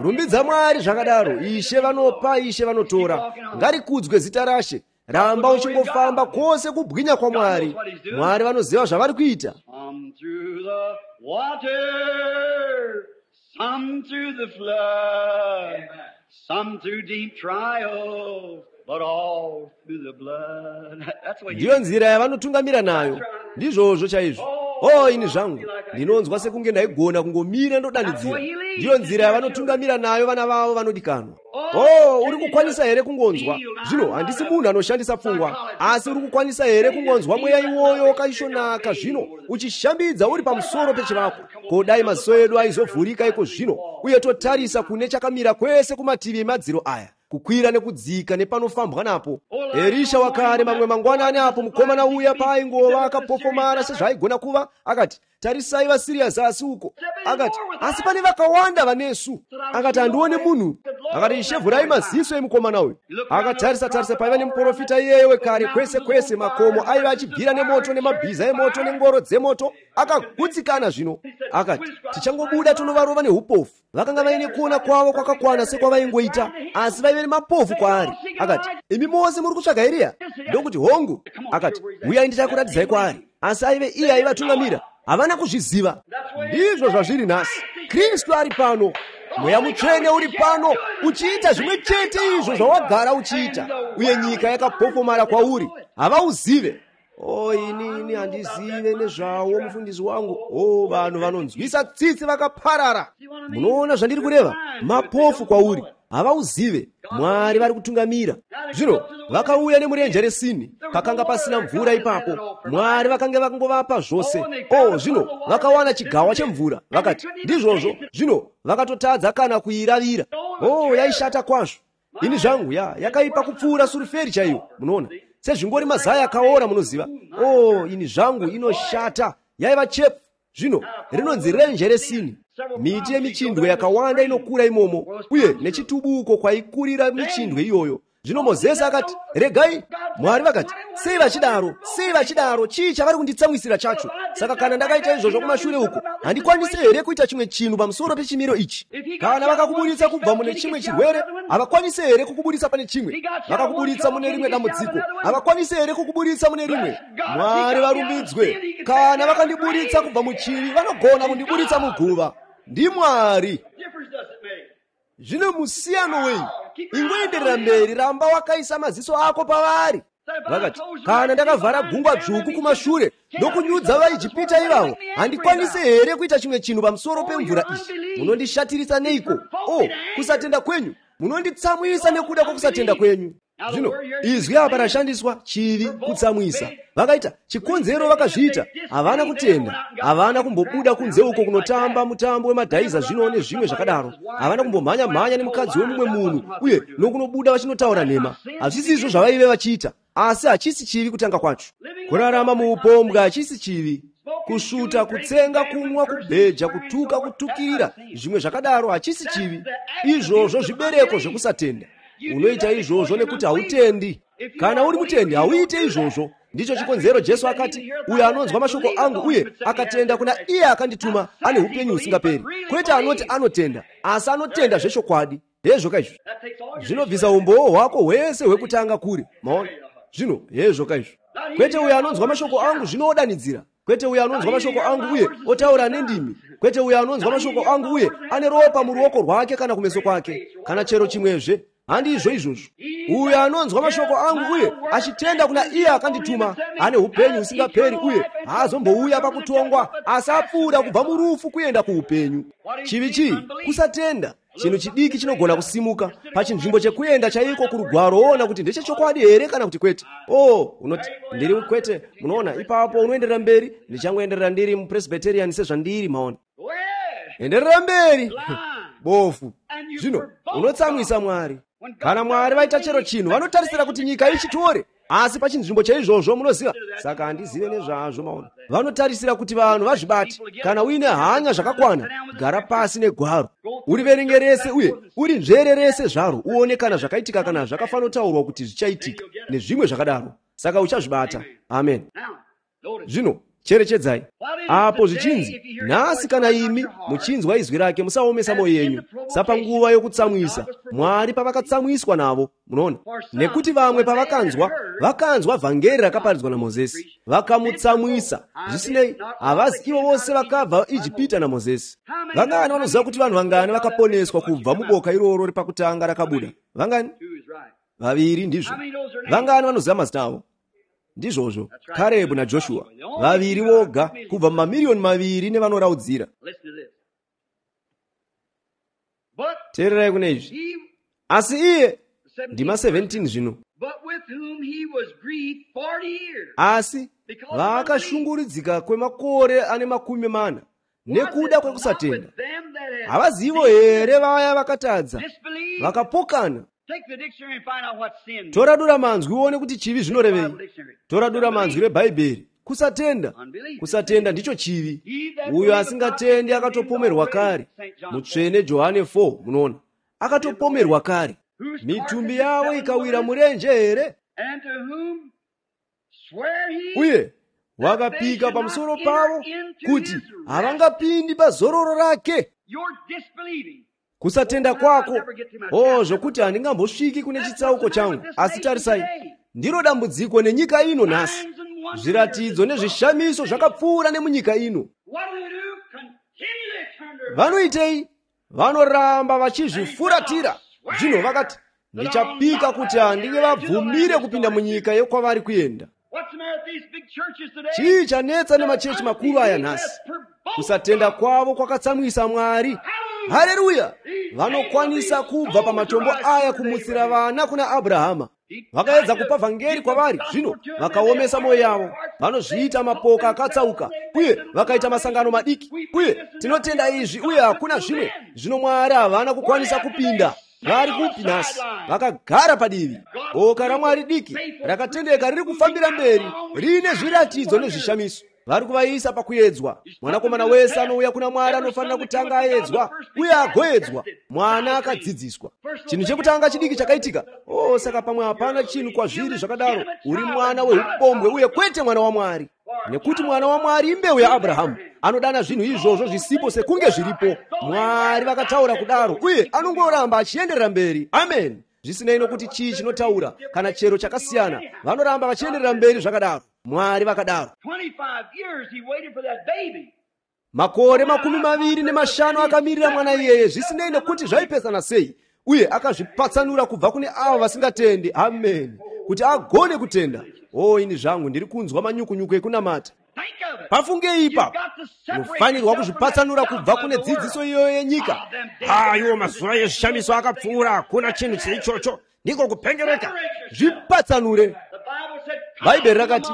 Speaker 1: Rumbidza Mwari zvakadaro. Ishe vanopa, Ishe vanotora. Ngarikudzwe zita raShe. Ramba uchingofamba kwose kubwinya kwaMwari. Mwari vanoziva zvavari kuita.
Speaker 2: Some through the water, some through the flood, some through deep trials, but all through the blood. That's what
Speaker 1: Ndiyo nzira yavanotungamira nayo. Ndizvozvo chaizvo. Oh, ini zvangu ndinonzwa sekunge ndaigona kungomira ndodanidzira. Ndiyo nzira yavanotungamira nayo vana vavo vanodikanwa. Oh, uri kukwanisa here kungonzwa? Zvino handisi munhu anoshandisa pfungwa, asi uri kukwanisa here kungonzwa mweya iwoyo wakaishonaka zvino uchishambidza uri pamusoro pechivako? Ko dai maziso edu aizovhurika iko zvino, uye totarisa kune chakamira kwese kumativi emadziro aya, kukwira nekudzika nepanofambwa napo. Erisha wakare mamwe mangwanani apo mukomana uya paaingova akapofomara sezvaaigona kuva, akati, Tarisai vaSiriya zasi uko. Akati, asi pane vakawanda vanesu. Akati, handione munhu. Akati, Ishe, vhurai maziso emukomana uyu. Akatarisa tarisa paiva nemuprofita iyeye wekare kwese kwese, makomo aiva achibvira nemoto nemabhiza emoto nengoro dzemoto. Akagutsikana zvino. Akati, tichangobuda tonovarova neupofu. Vakanga vaine kuona kwavo kwakakwana sekwavaingoita, asi vaive nemapofu kwaari. Akati, imi mose muri kutsvaga Eriya? Ndokuti, hongu. Akati, uyai ndichakuratidzai kwaari. Asi aive iye aivatungamira. Havana kuzviziva. Ndizvo zvazviri nhasi. Kristu ari pano. Mweya Mutsvene uri pano uchiita zvimwe chete izvo zvawagara uchiita, uye nyika yakapofomara kwauri. Havauzive. O, ini ini handizive nezvawo, mufundisi wangu. O, vanhu vanonzwisa tsitsi vakaparara. Munoona zvandiri kureva? Mapofu kwauri. Havauzive. Mwari vari kutungamira. Zvino vakauya nemurenje reSini, pakanga pasina mvura ipapo. Mwari vakanga vakangovapa zvose. O, zvino vakawana chigawa chemvura. Vakati, ndizvozvo. Zvino vakatotadza kana kuiravira. O, yaishata kwazvo. Ini zvangu, ya yakaipa kupfuura suruferi chaiyo. Munoona, sezvingori mazai akaora, munoziva. O, ini zvangu, inoshata. Yaiva chepfu. Zvino rinonzi renje reSini. Miti yemichindwe yakawanda inokura imomo, uye nechitubuko kwaikurira michindwe iyoyo. Zvino Mozisi akati, regai. Mwari vakati, sei vachidaro? Sei vachidaro? Chii chavari kunditsamwisira chacho? Saka kana ndakaita izvozvo kumashure uko, handikwanisi here kuita chimwe chinhu pamusoro pechimiro ichi? Kana vakakuburitsa kubva mune chimwe chirwere, havakwanisi here kukuburitsa pane chimwe? Vakakuburitsa mune rimwe dambudziko, havakwanisi here kukuburitsa mune rimwe? Mwari varumbidzwe. Kana vakandiburitsa kubva muchivi, vanogona kundiburitsa muguva. NdiMwari. Zvino musiyano wei? Ingoenderera mberi, ramba wakaisa maziso ako pavari. Vakati, kana ndakavhara gungwa dzvuku kumashure ndokunyudza vaIjipita ivavo, handikwanisi here kuita chimwe chinhu pamusoro pemvura iyi? Munondishatirisa neiko? O, kusatenda kwenyu! Munonditsamwisa nekuda kwokusatenda kwenyu. Zvino izwi apa rashandiswa chivi, kutsamwisa. Vakaita chikonzero, vakazviita. Havana kutenda. Havana kumbobuda kunze uko kunotamba mutambo wemadhaiza zvino nezvimwe zvakadaro. Havana kumbomhanya mhanya nemukadzi wemumwe munhu uye nokunobuda vachinotaura nhema. Hazvisi izvo zvavaive vachiita. Asi hachisi chivi kutanga kwacho. Kurarama muupombwe hachisi chivi. Kusvuta, kutsenga, kunwa, kubheja, kutuka, kutukirira, zvimwe zvakadaro hachisi chivi. Izvozvo zvibereko zvekusatenda. Unoita izvozvo nekuti hautendi. Kana uri mutendi, hauite izvozvo. Ndicho chikonzero Jesu akati, uyo anonzwa mashoko angu uye akatenda kuna iye akandituma ane upenyu husingaperi. Kwete anoti anotenda, asi anotenda zvechokwadi. Hezvo kaizvo. Zvinobvisa umbowo hwako hwese hwekutanga kuri. Maona? Zvino hezvo kaizvo. Kwete uyo anonzwa mashoko angu zvinoodanidzira. Kwete uyo anonzwa mashoko angu uye otaura nendimi. Kwete uyo anonzwa mashoko angu uye ane ropa muruoko rwake kana kumeso kwake, kana chero chimwezve. Handizvo izvozvo. Uyo anonzwa mashoko angu uye achitenda kuna iye akandituma ane upenyu husingaperi uye haazombouya pakutongwa, asi apfuura kubva murufu kuenda kuupenyu. Chivi chii? Kusatenda. Chinhu chidiki chinogona kusimuka pachinzvimbo chekuenda chaiko kurugwaro, woona kuti ndechechokwadi here kana kuti kwete. Oh, unoti ndiri kwete. Munoona, ipapo unoenderera mberi. Ndichangoenderera ndiri mupresbyterian sezvandiri. Maona, enderera mberi. Bofu. Zvino unotsamwisa Mwari. Kana Mwari vaita chero chinhu, vanotarisira kuti nyika ichitore. Asi pachinzvimbo chaizvozvo, munoziva, saka handizive nezvazvo. Maona, vanotarisira kuti vanhu vazvibate. Kana uine hanya zvakakwana, gara pasi negwaro, uriverenge rese uye uri nzvere rese zvaro, uone kana zvakaitika kana zvakafanotaurwa kuti zvichaitika nezvimwe zvakadaro. Saka uchazvibata. Amen. Zvino cherechedzai apo zvichinzi, nhasi kana imi muchinzwa izwi rake, musaomesa mwoyo yenyu sapanguva yokutsamwisa Mwari pavakatsamwiswa navo. Munoona, nekuti vamwe pavakanzwa vakanzwa vhangeri rakaparidzwa naMozisi, vakamutsamwisa. Zvisinei, havazi ivo vose vakabva Ijipita naMozisi. Vangani vanoziva kuti vanhu vangani vakaponeswa kubva muboka iroro repakutanga rakabuda? Vangani? Vaviri. Ndizvo. Vangani vanoziva mazita avo? Ndizvozvo, Karebhu naJoshua, vaviri voga kubva mumamiriyoni maviri nevanoraudzira. Teererai kune izvi. Asi iye, ndima seventeen zvino, asi vaakashungurudzika kwemakore ane makumi mana nekuda kwekusatenda, havazivo here vaya vakatadza vakapokana? Tora dura manzwi uone kuti chivi zvinorevei. Tora dura manzwi reBhaibheri Kusatenda. Kusatenda ndicho chivi. Uyo asingatendi akatopomerwa kare. Mutsvene Johane four, munoona, akatopomerwa kare. Mitumbi yavo ikawira murenje here? Uye wakapika pamusoro pavo kuti havangapindi pazororo rake. Kusatenda kwako, oh, zvokuti handingambosviki kune chitsauko changu. Asi tarisai, ndiro dambudziko nenyika ino nhasi. Zviratidzo nezvishamiso zvakapfuura nemunyika ino. Vanoitei? Vanoramba vachizvifuratira. Zvino vakati, ndichapika kuti handingavabvumire kupinda munyika yekwavari kuenda. Chii chanetsa nemachechi makuru aya nhasi? Kusatenda kwavo kwakatsamwisa Mwari. Haleluya! Vanokwanisa kubva pamatombo aya kumutsira vana kuna Abrahama. Vakaedza kupa vhangeri kwavari, zvino vakaomesa mwoyo yavo. Vanozviita mapoka akatsauka, uye vakaita masangano madiki, uye tinotenda izvi, uye hakuna zvimwe. Zvino Mwari havana kukwanisa kupinda. Vari kupi nhasi? Vakagara padivi. Boka raMwari diki rakatendeka riri kufambira mberi, riine zviratidzo nezvishamiso. Vari kuvaisa pakuedzwa. Mwanakomana wese anouya kuna Mwari anofanira kutanga aedzwa, uye agoedzwa. Mwana akadzidziswa. Chinhu chekutanga chidiki chakaitika. Oh, saka pamwe hapana chinhu kwazviri zvakadaro. Uri mwana weupombwe uye kwete mwana waMwari. Nekuti mwana waMwari imbeu yaAbrahamu. Anodana zvinhu izvozvo zvisipo sekunge zviripo. Mwari vakataura kudaro, uye anongoramba achienderera mberi. Amen. Zvisinei nokuti chii chinotaura kana chero chakasiyana, vanoramba vachienderera mberi zvakadaro. Mwari vakadaro. Makore makumi maviri nemashanu akamirira mwana iyeye, zvisinei nekuti zvaipesana sei, uye akazvipatsanura kubva kune avo vasingatendi. Amen. Kuti agone kutenda. Oh, ini zvangu ndiri kunzwa manyukunyuku ekunamata. Pafungei ipapo. Unofanirwa kuzvipatsanura kubva kune dzidziso iyoyo yenyika.
Speaker 3: Aiwo, mazuva ezvishamiso akapfuura, hakuna chinhu cheichocho. Ndiko kupengereka.
Speaker 1: Zvipatsanure. Bhaibheri rakati,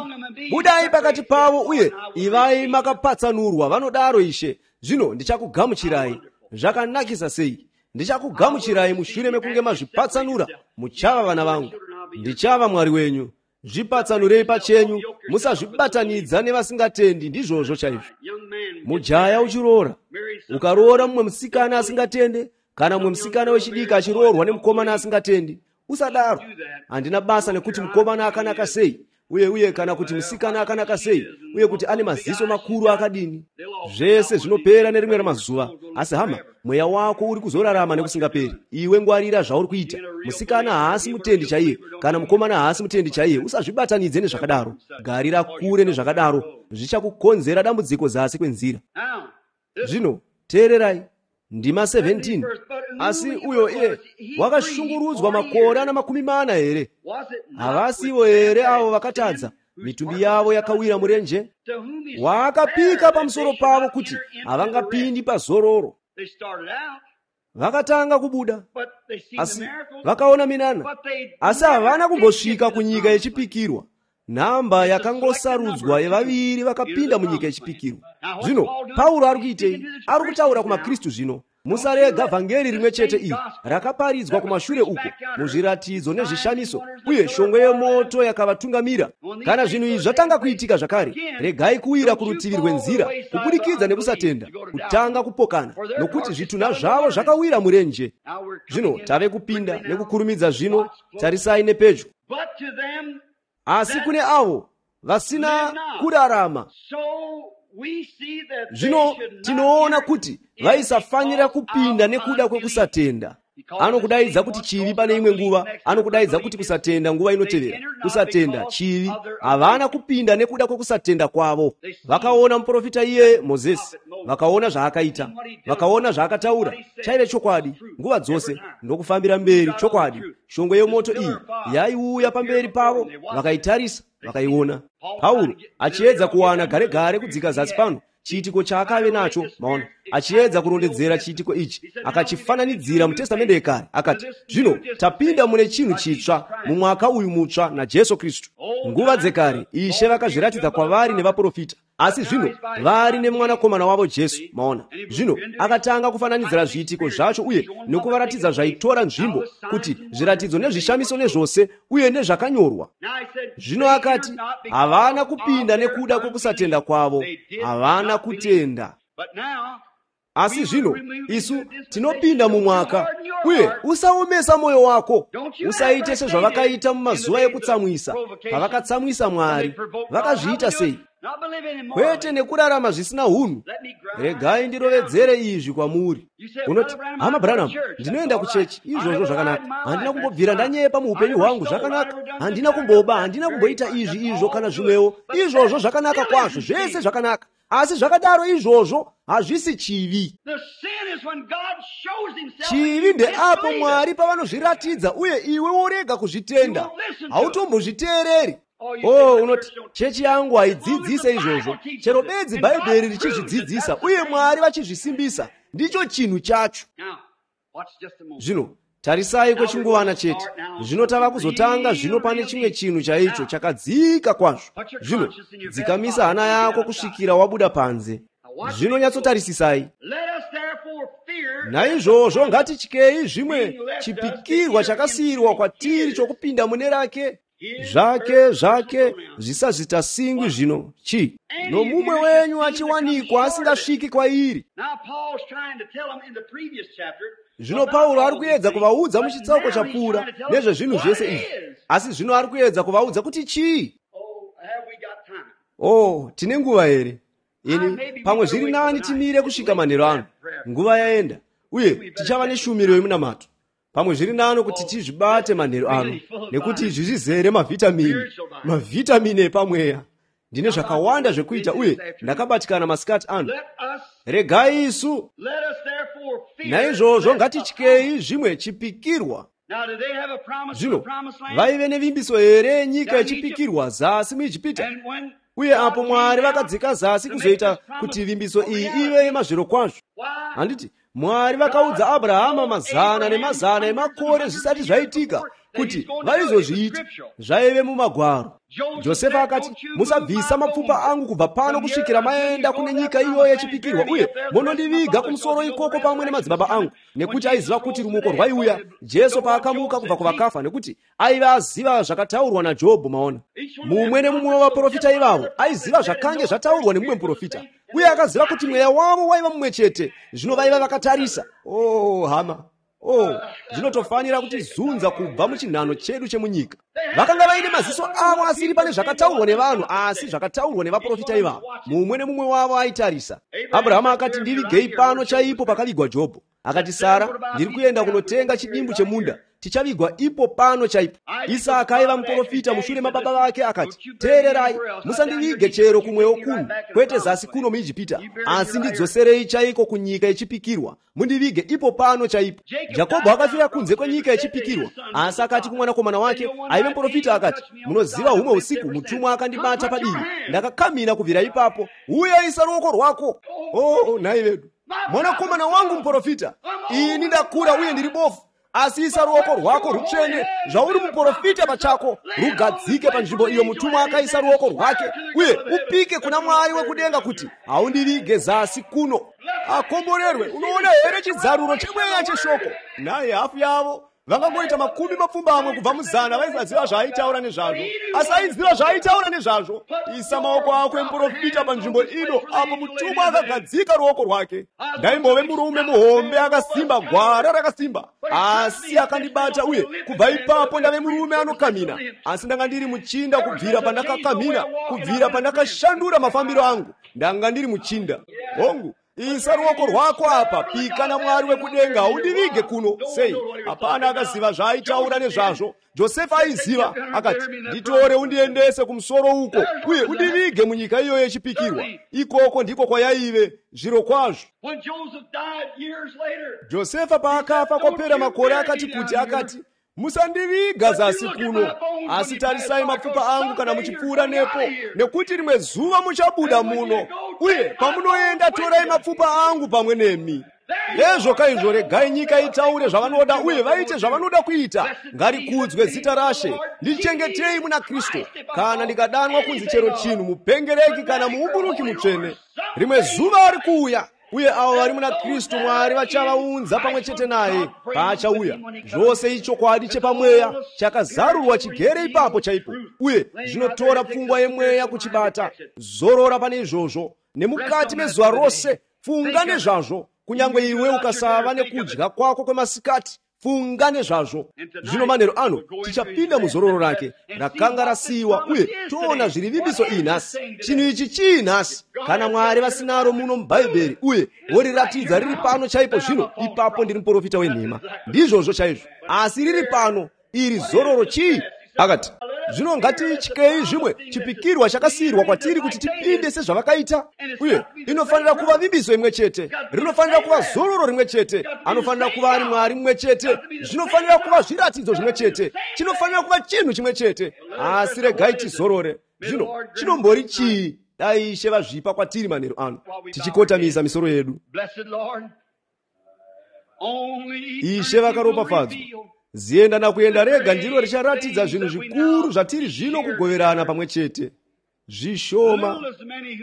Speaker 1: budai pakati pavo uye ivai makapatsanurwa, vanodaro Ishe. Zvino ndichakugamuchirai. Zvakanakisa sei? Ndichakugamuchirai mushure mekunge mazvipatsanura. Muchava vana vangu, ndichava Mwari wenyu. Zvipatsanurei pachenyu, musazvibatanidza nevasingatendi. Ndizvozvo chaizvo. Mujaya uchiroora, ukaroora mumwe musikana asingatende, kana mumwe musikana wechidiki achiroorwa nemukomana asingatendi, usadaro. Handina basa nekuti mukomana akanaka sei, uye uye kana kuti musikana akanaka sei, uye kuti ane maziso makuru akadini. Zvese zvinopera nerimwe ramazuva. Asi hama, mweya wako uri kuzorarama nekusingaperi. Iwe ngwarira zvauri kuita. Musikana haasi mutendi chaiye, kana mukomana haasi mutendi chaiye. Usazvibatanidze nezvakadaro. Garira kure nezvakadaro, zvichakukonzera dambudziko zasi kwenzira. Zvino teererai. Ndima seventeen. Asi uyo iye wakashungurudzwa makore ana makumi mana here? Havasivo here avo vakatadza, mitumbi yavo yakawira murenje? Waakapika pamusoro pavo kuti havangapindi pazororo. Vakatanga kubuda, asi vakaona minana, asi havana kumbosvika kunyika yechipikirwa. Nhamba yakangosarudzwa yevaviri vakapinda munyika yechipikirwa. Zvino Pauro ari kuitei? Ari kutaura kumaKristu zvino. Musarega vhangeri rimwe chete iri rakaparidzwa kumashure uko muzviratidzo nezvishamiso, uye shongwe yemoto yakavatungamira. Kana zvinhu izvi zvatanga kuitika zvakare, regai kuwira kurutivi rwenzira kubudikidza nekusatenda, kutanga kupokana, nokuti zvitunha zvavo zvakawira murenje. Zvino tave kupinda nekukurumidza zvino, tarisai nepedyo. Asi kune avo vasina kurarama, zvino tinoona kuti vaisafanira kupinda nekuda kwekusatenda. Anokudaidza kuti chivi pane imwe nguva, anokudaidza kuti kusatenda nguva inotevera. Kusatenda, chivi. Havana kupinda nekuda kwekusatenda kwavo. Vakaona muprofita iye Mozisi, vakaona zvaakaita, vakaona zvaakataura, chaive chokwadi nguva dzose, ndokufambira mberi chokwadi. Shongwe yemoto iyi yaiuya pamberi pavo, vakaitarisa, vakaiona. Pauro achiedza kuwana gare gare kudzika zasi pano chiitiko chaakave nacho, maona, achiedza kurondedzera chiitiko ichi, akachifananidzira muTestamende yekare. Akati, zvino tapinda mune chinhu chitsva mumwaka uyu mutsva naJesu Kristu. Nguva dzekare Ishe vakazviratidza kwavari nevaprofita, Asi zvino vari nemwanakomana wavo Jesu, maona. Zvino akatanga kufananidzira zviitiko zvacho uye nokuvaratidza zvaitora nzvimbo, kuti zviratidzo nezvishamiso nezvose uye nezvakanyorwa. Zvino akati havana kupinda nekuda kwokusatenda kwavo, havana kutenda. Asi zvino isu tinopinda mumwaka, uye usaomesa mwoyo wako, usaite sezvavakaita mumazuva ekutsamwisa, pavakatsamwisa Mwari. Vakazviita sei? Kwete nekurarama zvisina hunhu. Regai ndirovedzere izvi kwamuri. Unoti, hama Branham, ndinoenda kuchechi, izvozvo zvakanaka. Handina kumbobvira ndanyepa muupenyu hwangu, zvakanaka. Handina kumboba, handina kumboita izvi izvo kana zvimwewo, izvozvo zvakanaka kwazvo, zvese zvakanaka. Asi zvakadaro izvozvo hazvisi chivi. Chivi ndeapo Mwari pavanozviratidza uye iwe worega kuzvitenda, hautombozviteereri. Oh, unoti chechi yangu haidzidzise izvozvo. Chero bedzi Bhaibheri richizvidzidzisa uye Mwari vachizvisimbisa, ndicho chinhu chacho. Zvino tarisai kwechinguvana chete. Zvino tava kuzotanga zvino pane chimwe chinhu chaicho chakadzika kwazvo. Zvino dzikamisa hana yako kusvikira wabuda panze. Zvino nyatsotarisisai. Naizvozvo ngatityei zvimwe chipikirwa chakasiyirwa kwatiri chokupinda mune rake zvake zvake zvisazitasingwi. Zvino chi nomumwe wenyu achiwanikwa asingasviki kwairi. Zvino Pauro ari kuedza kuvaudza muchitsauko chapfuura nezvezvinhu zvese izvi, asi zvino ari kuedza kuvaudza kuti chii. Oh, tine nguva here? Ini pamwe zviri nani timire kusvika manheru ano. Nguva yaenda uye tichava neshumiro yemunamato. Pamwe zviri nani kuti tizvibate manheru ano, nekuti izvi zvizere mavhitamini, mavhitamini epamweya. Ndine zvakawanda zvekuita uye ndakabatikana masikati ano. Regai isu. Naizvozvo ngatityei zvimwe chipikirwa. Zvino vaive nevimbiso here yenyika yechipikirwa zasi muIjipita? Uye apo Mwari vakadzika zasi kuzoita kuti vimbiso iyi ive yemazvirokwazvo, handiti Mwari vakaudza Abrahama mazana nemazana emakore zvisati zvaitika kuti vaizozviita, zvaive mumagwaro. Josefa akati, musabvisa mapfupa angu kubva pano kusvikira maenda kune nyika iyoyo yechipikirwa, uye munondiviga kumusoro ikoko pamwe nemadzibaba angu. Nekuti aiziva kuti rumuko rwaiuya Jesu paakamuka kubva kuvakafa, nekuti aiva aziva zvakataurwa naJobho. Maona, mumwe nemumwe wavaprofita ivavo aiziva zvakange zvataurwa nemumwe muprofita, uye akaziva kuti mweya wavo waiva mumwe chete. Zvino vaiva vakatarisa. Oh, hama, oh, zvinotofanira kutizunza kubva muchinhano chedu chemunyika. Vakanga vaine maziso avo asiri pane zvakataurwa nevanhu, asi zvakataurwa nevaprofita ivavo. Mumwe nemumwe wavo aitarisa. Abrahama akati, ndivigei pano chaipo pakavigwa Jobho. Akati, Sara, ndiri kuenda kunotenga chidimbu chemunda, tichavigwa ipo pano chaipo. Isaka aiva muprofita mushure mababa vake akati, teererai, musandivige chero kumwewo kuno, kwete zasi kuno muIjipita, asi ndidzoserei chaiko kunyika yechipikirwa, mundivige ipo pano chaipo. Jakobho akafira kunze kwenyika yechipikirwa, asi akati kumwanakomana wake aive muprofita akati, munoziva humwe usiku mutumwa akandibata padivi, ndakakamira kubvira ipapo, uye isa ruoko rwako. Oh, nhai vedu, mwanakomana wangu muprofita, ini ndakura uye ndiri bofu, asi isa ruoko rwako rutsvene, zvauri muprofita pachako, rugadzike panzvimbo iyo mutumwa akaisa ruoko rwake, uye upike kuna Mwari wekudenga kuti haundivige zasi kuno. Akomborerwe. Unoona here chidzaruro chemweya cheshoko? Naye hafu yavo vangangoita makumi mapfumbamwe kubva muzana vaisaziva zvaaitaura nezvazvo, asi aiziva zvaaitaura nezvazvo. Isa maoko ako emuprofita panzvimbo ino apo mutumwa akagadzika ruoko rwake. Ndaimbove murume muhombe akasimba, gwara rakasimba, asi akandibata, uye kubva ipapo ndave murume anokamina. Asi ndanga ndiri muchinda kubvira pandakakamina, kubvira pandakashandura mafambiro angu, ndanga ndiri muchinda. Hongu, isa ruoko rwako apa, pika naMwari wekudenga, haundivige kuno. Sei? Hapana akaziva zvaaitaura nezvazvo. Josefa aiziva, akati, nditore undiendese kumusoro uko, uye undivige munyika iyoyo yechipikirwa. Ikoko ndiko kwayaive zviro kwazvo. Josefa paakafa kwapera makore akati kuti, akati, musandiviga zasi kuno, asi tarisai mapfupa angu kana muchipfuura nepo, nekuti rimwe zuva muchabuda muno, uye pamunoenda torai mapfupa angu pamwe nemi. Hezvo kaizvo, regai nyika itaure zvavanoda uye vaite zvavanoda kuita. Ngarikudzwe zita raShe. Ndichengetei muna Kristu. Kana ndikadanwa kunzi chero chinhu, mupengereki kana muumburuki mutsvene, rimwe zuva ari kuuya, uye avo vari muna Kristu Mwari vachavaunza pamwe chete naye paachauya. Zvose ichokwadi chepamweya chakazarurwa chigere ipapo chaipo, uye zvinotora pfungwa yemweya kuchibata. Zorora pane izvozvo nemukati mezuva rose, funga nezvazvo. Kunyange iwe ukasava nekudya kwako kwemasikati, funga nezvazvo. Zvino manheru ano tichapinda muzororo rake rakanga rasiyiwa, uye toona zviri vimbiso iyi nhasi. Chinhu ichi chii nhasi? Kana Mwari vasinaro muno muBhaibheri uye voriratidza riri pano chaipo zvino, ipapo ndiri muprofita wenhema. Ndizvozvo chaizvo. Asi riri pano, iri zororo chii? Akati, zvino ngatityei zvimwe chipikirwa chakasiyirwa kwatiri kuti tipinde sezvavakaita. Uye inofanira kuva vimbiso imwe chete, rinofanira kuva zororo rimwe chete, anofanira kuva ari Mwari mumwe chete, zvinofanira kuva zviratidzo zvimwe chete, chinofanira kuva chinhu chimwe chete. Asi regai tizorore. Zvino chinombori chii? Dai Ishe vazvipa kwatiri manheru ano, tichikotamisa misoro yedu. Ishe vakaropafadzwa. Zienda nakuenda rega ndiro richaratidza zvinhu zvikuru zvatiri zvino kugoverana pamwe chete. Zvishoma,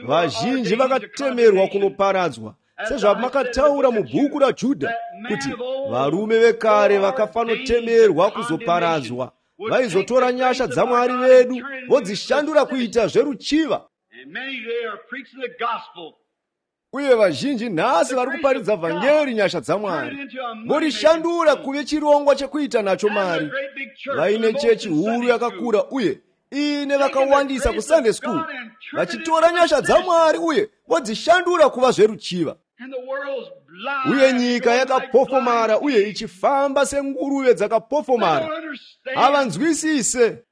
Speaker 1: vazhinji vakatemerwa kunoparadzwa, sezvamakataura mubhuku raJudha kuti varume vekare vakafanotemerwa kuzoparadzwa, vaizotora nyasha dzaMwari vedu vodzishandura kuita zveruchiva. Uye vazhinji nhasi vari kuparidza vhangeri nyasha dzaMwari, vorishandura kuve chirongwa chekuita nacho mari. Vaine chechi huru yakakura uye iine vakawandisa kuSunday school, vachitora nyasha dzaMwari uye vodzishandura kuva zveruchiva. Uye nyika yakapofomara uye ichifamba senguruve dzakapofomara. Havanzwisise.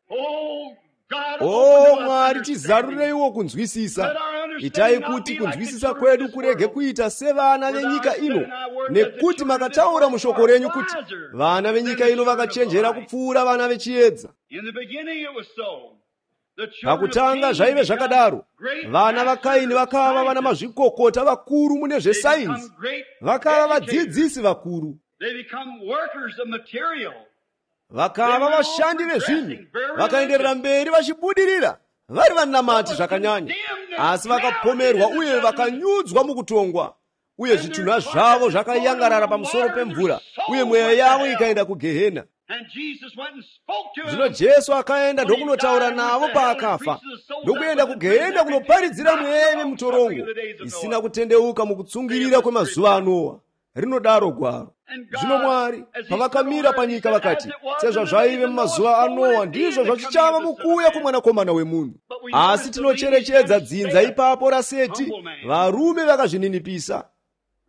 Speaker 1: O Mwari, tizarureiwo kunzwisisa. Itai kuti kunzwisisa kwedu kurege kuita sevana venyika ino, nekuti makataura mushoko renyu kuti vana venyika ino vakachenjera kupfuura vana vechiedza. Pakutanga zvaive zvakadaro. Vana vaKaini vakava vana mazvikokota vakuru mune zvesainzi, vakava vadzidzisi vakuru, vakava vashandi vezvinhu, vakaenderera mberi vachibudirira vari vanamati zvakanyanya. Asi vakapomerwa uye vakanyudzwa mukutongwa, uye zvitunha zvavo zvakayangarara pamusoro pemvura, uye mweya yavo ikaenda kugehena. Zvino Jesu akaenda ndokunotaura navo paakafa, ndokuenda kugehena kunoparidzira mweya yemutorongo isina kutendeuka mukutsungirira kwemazuva aNoa, rinodaro gwaro. Zvino Mwari pavakamira panyika vakati, sezvazvaive mumazuva aNoa, ndizvo zvachichava mukuuya kwomwanakomana wemunhu. Asi tinocherechedza dzinza ipapo raSeti, varume vakazvininipisa,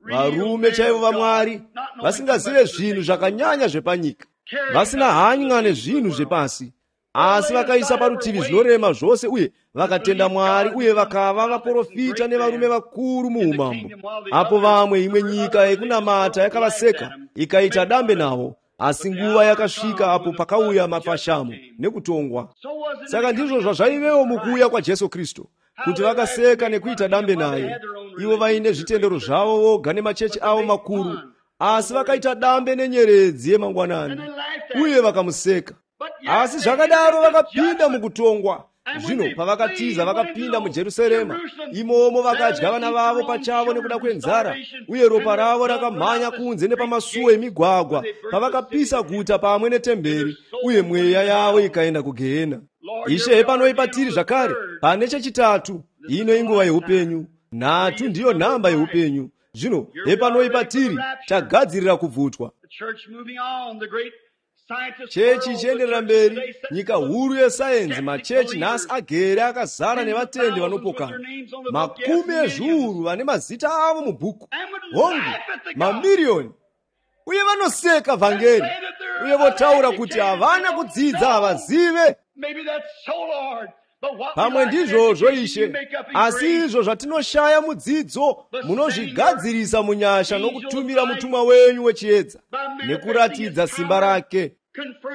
Speaker 1: varume chaivo vaMwari, vasingazive zvinhu zvakanyanya zvepanyika, vasina hanya nezvinhu zvepasi, asi vakaisa parutivi zvinorema zvose uye vakatenda Mwari uye vakava vaprofita nevarume vakuru muumambo. Apo vamwe imwe nyika yekunamata yakavaseka ikaita dambe navo, asi nguva yakasvika apo pakauya mafashamo nekutongwa. Saka ndizvo zvazvaivewo mukuuya kwaJesu Kristu, kuti vakaseka nekuita dambe naye. Ivo vaine zvitendero zvavo voga nemachechi avo makuru, asi vakaita dambe nenyeredzi yemangwanani uye vakamuseka. Asi zvakadaro vakapinda mukutongwa. Zvino pavakatiza vakapinda muJerusarema, imomo vakadya vana vavo pachavo nekuda kwenzara, uye ropa ravo rakamhanya kunze nepamasuo emigwagwa pavakapisa guta pamwe netemberi, uye mweya yavo ikaenda kugehena. Ishe hepanoi patiri zvakare pane chechitatu. Ino inguva yeupenyu. Nhatu ndiyo nhamba yeupenyu. Zvino hepanoi patiri, tagadzirira kubvutwa. Chechi ichienderera mberi, nyika huru yesayenzi, machechi nhasi agere akazara nevatendi vanopokana, makumi ezviuru vane mazita avo mubhuku, hongu, mamiriyoni, uye vanoseka vhangeri uye votaura kuti havana kudzidza, havazive. Pamwe ndizvozvo Ishe, asi izvo zvatinoshaya mudzidzo munozvigadzirisa munyasha nokutumira mutumwa wenyu wechiedza nekuratidza simba rake,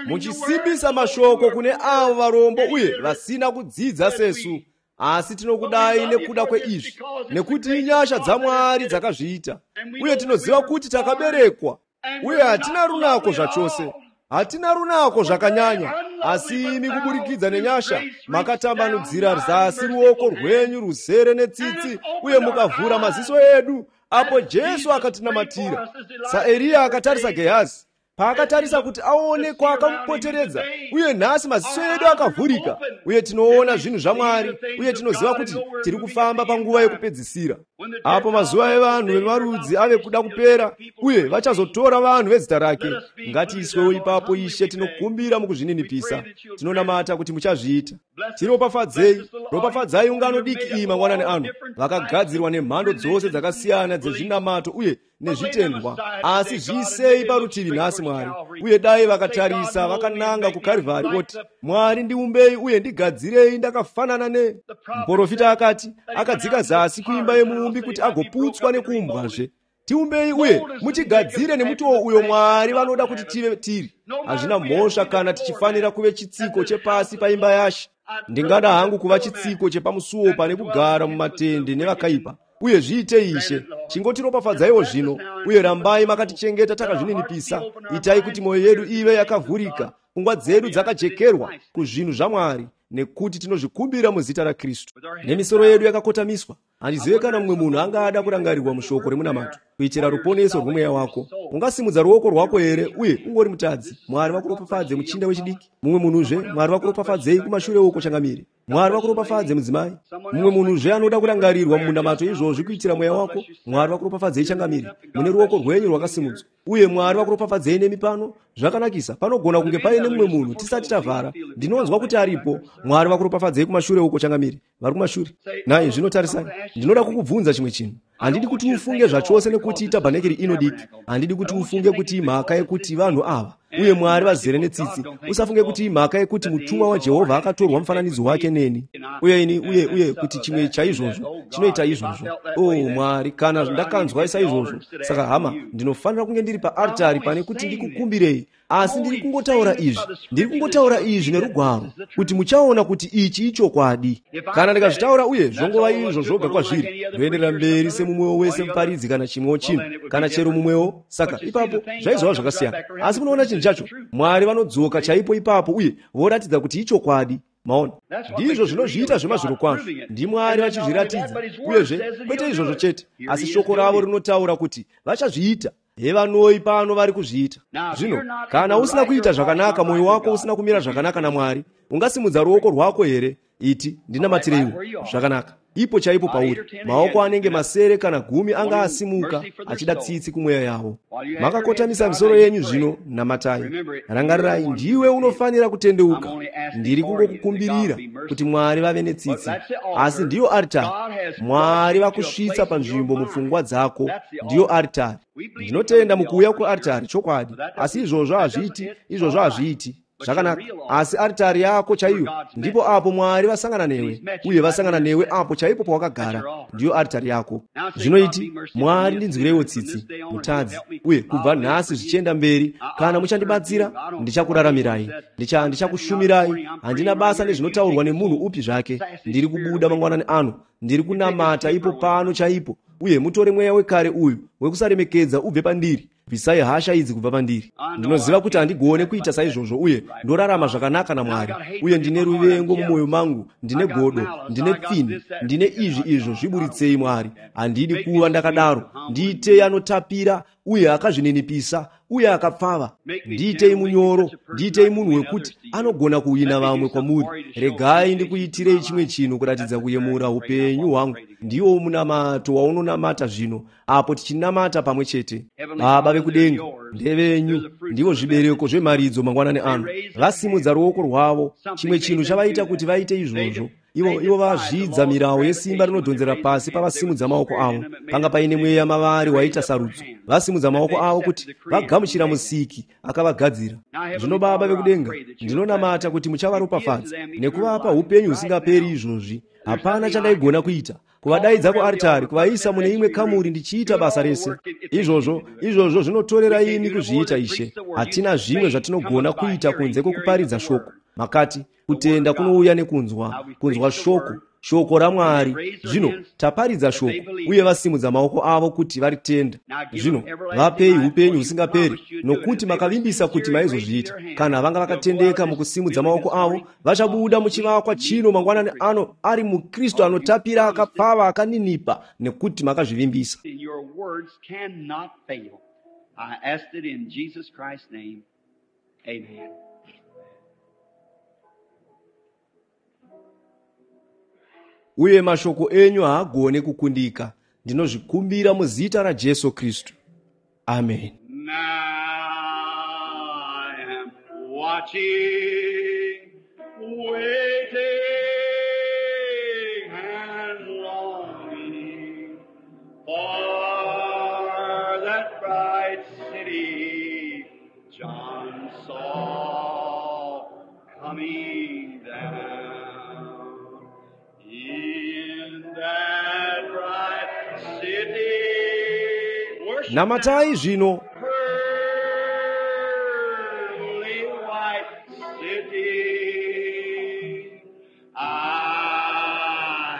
Speaker 1: muchisimbisa mashoko kune avo varombo uye vasina kudzidza sesu. Asi tinokudai nekuda kweizvi, nekuti inyasha dzaMwari dzakazviita, Uye tinoziva kuti takaberekwa, uye hatina runako zvachose, hatina runako zvakanyanya, asi imi kuburikidza nenyasha makatambanudzira zasi ruoko rwenyu ruzere netsitsi uye mukavhura maziso edu apo Jesu akatinamatira. SaEriya akatarisa Gehazi, paakatarisa kuti aone kwaakamupoteredza, uye nhasi maziso edu akavhurika, uye tinoona zvinhu zvaMwari, uye tinoziva kuti tiri kufamba panguva yekupedzisira, apo mazuva evanhu vemarudzi ave kuda kupera, uye vachazotora vanhu vezita rake. Ngatiiswewo ipapo, Ishe, tinokumbira mukuzvininipisa. Tinonamata kuti muchazviita. Tiropafadzei, ropafadzai ungano diki iyi mangwanani ano, vakagadzirwa nemhando dzose dzakasiyana dzezvinamato uye nezvitendwa, asi zviisei parutivi nhasi, Mwari, uye dai vakatarisa vakananga kuKarivhari voti, Mwari, ndiumbei uye ndigadzirei ndakafanana ne. Muprofita akati akadzika zasi kuimba yemuumbi kuti agoputswa nekuumbwazve. Tiumbei uye mutigadzire nemutoo uyo Mwari vanoda kuti tive tiri. Hazvina mhosva kana tichifanira kuve chitsiko chepasi paimba yaShe. Ndingada hangu kuva chitsiko chepamusuo pane kugara mumatende nevakaipa. Uye zviitei, Ishe, chingotiropafadzaiwo zvino, uye rambai makatichengeta takazvininipisa. Itai kuti mwoyo yedu ive yakavhurika, pfungwa dzedu dzakajekerwa kuzvinhu zvaMwari, nekuti tinozvikumbira muzita raKristu. Nemisoro yedu yakakotamiswa, handizive kana mumwe munhu angada kurangarirwa mushoko remunamato kuitira ruponeso rwomweya wako. Ungasimudza ruoko rwako here uye ungori mutadzi? Mwari vakuropafadze, muchinda wechidiki. Mumwe munhuzve, Mwari vakuropafadzei kumashure uko, changamire. Mwari vakuropafadze, mudzimai. Mumwe munhuzve anoda kurangarirwa mumunamato izvozvi kuitira mweya wako. Mwari vakuropafadzei, changamire, mune ruoko rwenyu rwakasimudzwa. Uye Mwari vakuropafadzei nemi pano. Zvakanakisa, panogona kunge paine mumwe munhu tisati tavhara. Ndinonzwa kuti aripo. Mwari vakuropafadzei kumashure uko, changamire, vari kumashure. Nai, zvino tarisai, ndinoda kukubvunza chimwe chinhu. Handidi kuti ufunge zvachose nekuti itabhanekeri ino diki. Handidi kuti ufunge kuti imhaka yekuti vanhu ava uye Mwari vazere netsitsi. Usafunge kuti imhaka yekuti mutumwa waJehovha akatorwa mufananidzo wake neni uye ini, uye uye kuti chimwe chaizvozvo chinoita izvozvo. O Mwari, kana ndakanzwa saizvozvo, saka hama, ndinofanira kunge ndiri paaritari pane kuti ndikukumbirei. Asi ndiri kungotaura izvi, ndiri kungotaura izvi nerugwaro, kuti muchaona kuti ichi ichokwadi. Kana ndikazvitaura uye zvongova izvo zvoga kwazviri, ndoenderera mberi semumwewo wese muparidzi kana chimwewo chinhu kana chero mumwewo, saka ipapo zvaizova zvakasiyana. Asi munoona chinhu chacho, Mwari vanodzoka chaipo ipapo uye voratidza kuti ichokwadi. Maona, ndizvo zvinozviita zvemazvirokwazvo. NdiMwari vachizviratidza. Uyezve kwete izvozvo chete, asi shoko ravo rinotaura kuti vachazviita. Hevanoi pano vari kuzviita zvino. Kana usina kuita zvakanaka, mwoyo wako usina kumira zvakanaka naMwari, ungasimudza ruoko rwako here? Iti, ndinamatireiwo. Zvakanaka, ipo chaipo pauri. Maoko anenge masere kana gumi anga asimuka achida tsitsi kumweya yavo. Makakotamisa misoro yenyu zvino, namatai. Rangarirai, ndiwe unofanira kutendeuka. Ndiri kungokukumbirira kuti Mwari vave netsitsi, asi ndiyo aritari. Mwari vakusvitsa panzvimbo mupfungwa dzako, ndiyo aritari. Ndinotenda mukuuya kuaritari, chokwadi, asi izvozvo hazviiti, izvozvo hazviiti zvakanaka. Asi aritari yako chaiyo ndipo apo Mwari vasangana newe, uye vasangana newe apo chaipo pawakagara, ndiyo aritari yako. Zvinoiti, Mwari, ndinzwireiwo tsitsi, mutadzi, uye kubva nhasi zvichienda mberi, kana muchandibatsira, ndichakuraramirai, ndichakushumirai. Handina basa nezvinotaurwa nemunhu upi zvake. Ndiri kubuda mangwanani ano, ndiri kunamata ipo pano chaipo, uye mutore mweya wekare uyu wekusaremekedza ubve pandiri. Bvisai hasha idzi kubva pandiri. Ndinoziva kuti handigone kuita saizvozvo, uye ndorarama zvakanaka naMwari, uye ndine ruvengo mumwoyo mangu, ndine godo, ndine pfini, ndine izvi izvo. Zviburitsei, Mwari. Handidi kuva ndakadaro. Ndiitei anotapira uye akazvininipisa uye akapfava. Ndiitei munyoro, ndiitei munhu wekuti anogona kuwina vamwe kwamuri. Regai ndikuitirei chimwe chinhu kuratidza kuyemura upenyu hwangu. Ndiwo munamato waunonamata zvino apo tichinamata pamwe chete. Baba vekudenga, ndevenyu, ndivo zvibereko zvemharidzo mangwanani ano. Vasimudza ruoko rwavo, chimwe chinhu chavaita kuti vaite izvozvo. Ivo ivo vazvidza mirawo yesimba rinodhonzera pasi pavasimudza maoko avo. Panga paine mweya mavari waita sarudzo. Vasimudza maoko avo kuti vagamuchira Musiki akavagadzira. Zvino Baba vekudenga, ndinonamata kuti muchavaropafadza nekuvapa upenyu husingaperi izvozvi. Hapana chandaigona kuita kuvadaidza kuaritari, kuvaisa mune imwe kamuri ndichiita basa rese. Izvozvo izvozvo zvinotorera imi kuzviita, Ishe. Hatina zvimwe zvatinogona kuita kunze kwokuparidza shoko. Makati kutenda kunouya nekunzwa, kunzwa shoko. Shoko raMwari. Zvino taparidza shoko, uye vasimudza maoko avo kuti varitenda. Zvino vapei upenyu husingaperi, nokuti makavimbisa kuti maizozviita. Kana vanga vakatendeka mukusimudza maoko avo, vachabuda muchivakwa chino mangwanani ano ari muKristu anotapira, akapfava, akaninipa, nekuti makazvivimbisa.
Speaker 2: I asked it in Jesus Christ's name. Amen.
Speaker 1: Uye mashoko enyu haagone kukundika. Ndinozvikumbira muzita raJesu Kristu. Amen.
Speaker 2: Now I am watching, waiting and longing for that bright city John saw coming down. In that bright city, worship
Speaker 1: Namatai zvino.
Speaker 2: Pearly white city, I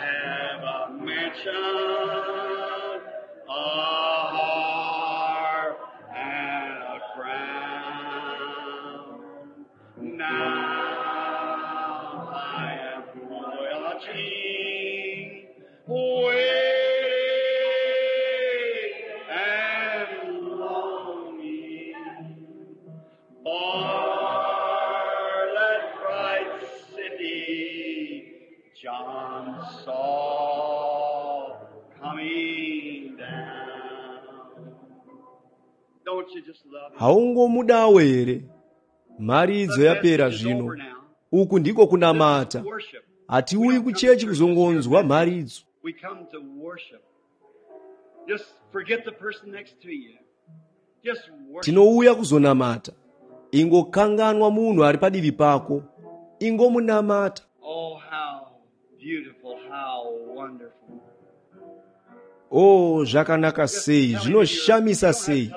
Speaker 2: have a mansion, a harp, and a crown. Now I am watching, waiting and longing for that bright city John saw coming down. Don't you just love him?
Speaker 1: Haungomudawo here? Mharidzo yapera zvino. Uku ndiko kunamata.
Speaker 2: Worship.
Speaker 1: Hatiuyi kuchechi kuzongonzwa mharidzo.
Speaker 2: We come to worship. Just forget the person next to you. Just worship.
Speaker 1: Tinouya kuzonamata. Ingokanganwa munhu ari padivi pako. Ingomunamata.
Speaker 2: Oh, how beautiful, how wonderful.
Speaker 1: O, zvakanaka sei, zvinoshamisa sei.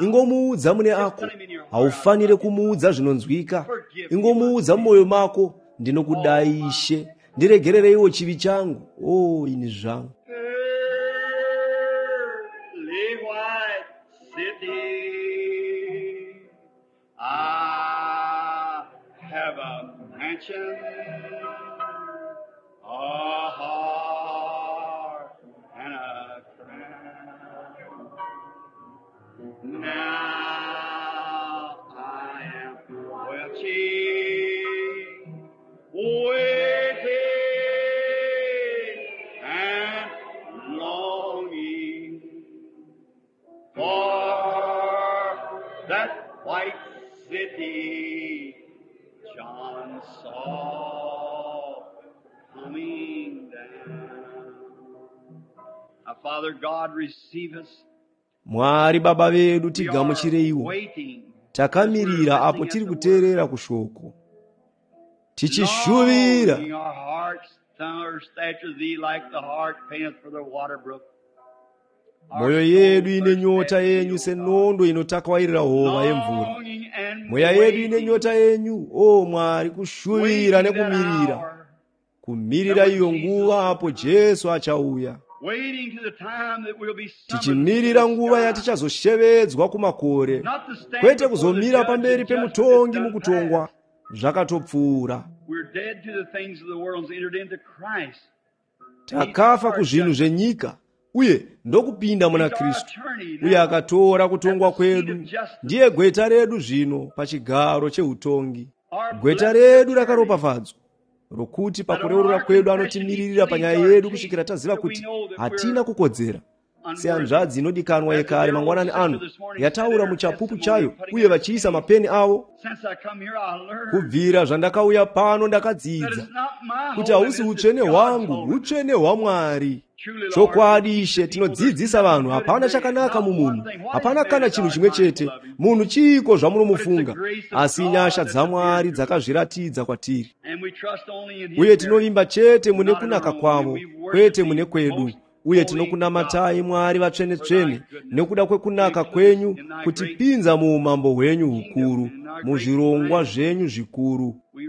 Speaker 1: Ingomuudza mune ako. Haufanire kumuudza zvinonzwika. Ingomuudza mumwoyo mako, ndinokudai Ishe, ndiregerereiwo chivi changu. O, ini zvangu.
Speaker 2: Pearly white city, I have a mansion, a heart, and a crown. Now I am watching, waiting and longing for that white city John saw coming down. Now, Father God, receive us.
Speaker 1: Mwari Baba vedu,
Speaker 2: We are
Speaker 1: tigamuchireiwo.
Speaker 2: waiting.
Speaker 1: Takamirira apo tiri kuteerera kushoko, tichishuvira.
Speaker 2: Longing our hearts thirst after thee like the hart panteth for the water brook. Our
Speaker 1: Mwoyo yedu
Speaker 2: soul
Speaker 1: ine
Speaker 2: thirsts
Speaker 1: nyota
Speaker 2: after thee,
Speaker 1: yenyu
Speaker 2: O God.
Speaker 1: senondo inotakwairira hova yemvura.
Speaker 2: Longing and
Speaker 1: Mweya yedu ine
Speaker 2: waiting,
Speaker 1: nyota yenyu, o Mwari, kushuvira
Speaker 2: waiting that
Speaker 1: nekumirira,
Speaker 2: hour,
Speaker 1: kumirira iyo nguva apo Jesu achauya,
Speaker 2: waiting to the time that we'll be summoned to
Speaker 1: tichimirira
Speaker 2: the
Speaker 1: nguva
Speaker 2: sky.
Speaker 1: yatichazoshevedzwa kumakore,
Speaker 2: Not to stand
Speaker 1: kwete
Speaker 2: before the
Speaker 1: kuzomira
Speaker 2: judge
Speaker 1: pamberi
Speaker 2: and judgment is
Speaker 1: pemutongi
Speaker 2: done
Speaker 1: mukutongwa,
Speaker 2: past.
Speaker 1: zvakatopfuura.
Speaker 2: We're dead to the things of the world and entered into Christ.
Speaker 1: Takafa kuzvinhu zvenyika uye ndokupinda muna
Speaker 2: He's our
Speaker 1: Kristu,
Speaker 2: attorney
Speaker 1: uye
Speaker 2: now.
Speaker 1: akatora kutongwa kwedu. Ndiye gweta redu zvino pachigaro cheutongi.
Speaker 2: Our
Speaker 1: Gweta
Speaker 2: blessed
Speaker 1: redu
Speaker 2: attorney.
Speaker 1: rakaropafadzwa, rokuti pakureurura kwedu anotimiririra panyaya yedu kusvikira taziva kuti hatina kukodzera. Sehanzvadzi inodikanwa yekare mangwanani ano yataura muchapupu chayo, uye vachiisa mapeni avo.
Speaker 2: Since I come here, I learned
Speaker 1: Kubvira zvandakauya pano
Speaker 2: that
Speaker 1: ndakadzidza
Speaker 2: it's not my
Speaker 1: kuti hausi
Speaker 2: holiness, it's
Speaker 1: utsvene
Speaker 2: God's
Speaker 1: hwangu,
Speaker 2: holiness.
Speaker 1: utsvene hwaMwari.
Speaker 2: Truly, Lord,
Speaker 1: Chokwadi Ishe,
Speaker 2: the people, there's
Speaker 1: tinodzidzisa
Speaker 2: nothing
Speaker 1: vanhu,
Speaker 2: good in
Speaker 1: hapana
Speaker 2: man,
Speaker 1: chakanaka
Speaker 2: not one
Speaker 1: mumunhu,
Speaker 2: thing. What is
Speaker 1: hapana
Speaker 2: man
Speaker 1: kana
Speaker 2: that
Speaker 1: chinhu
Speaker 2: thou art
Speaker 1: chimwe chete.
Speaker 2: mindful of him?
Speaker 1: Munhu chiiko
Speaker 2: But it's the
Speaker 1: zvamunomufunga?
Speaker 2: grace of
Speaker 1: Asi
Speaker 2: God
Speaker 1: nyasha
Speaker 2: that appeared
Speaker 1: dzaMwari
Speaker 2: to us.
Speaker 1: dzakazviratidza kwatiri.
Speaker 2: And we trust only in His
Speaker 1: Uye
Speaker 2: merit,
Speaker 1: tinovimba chete mune
Speaker 2: not in our
Speaker 1: kunaka
Speaker 2: own. And
Speaker 1: kwavo,
Speaker 2: we worship
Speaker 1: kwete mune
Speaker 2: Thee,
Speaker 1: kwedu.
Speaker 2: most
Speaker 1: Uye
Speaker 2: holy God,
Speaker 1: tinokunamatai Mwari
Speaker 2: for thy
Speaker 1: vatsvene-tsvene
Speaker 2: goodness
Speaker 1: nekuda
Speaker 2: to
Speaker 1: kwekunaka
Speaker 2: include us
Speaker 1: kwenyu,
Speaker 2: in thy great
Speaker 1: kutipinza muumambo hwenyu
Speaker 2: kingdom
Speaker 1: hukuru,
Speaker 2: and in our great
Speaker 1: muzvirongwa
Speaker 2: plan.
Speaker 1: zvenyu zvikuru.
Speaker 2: We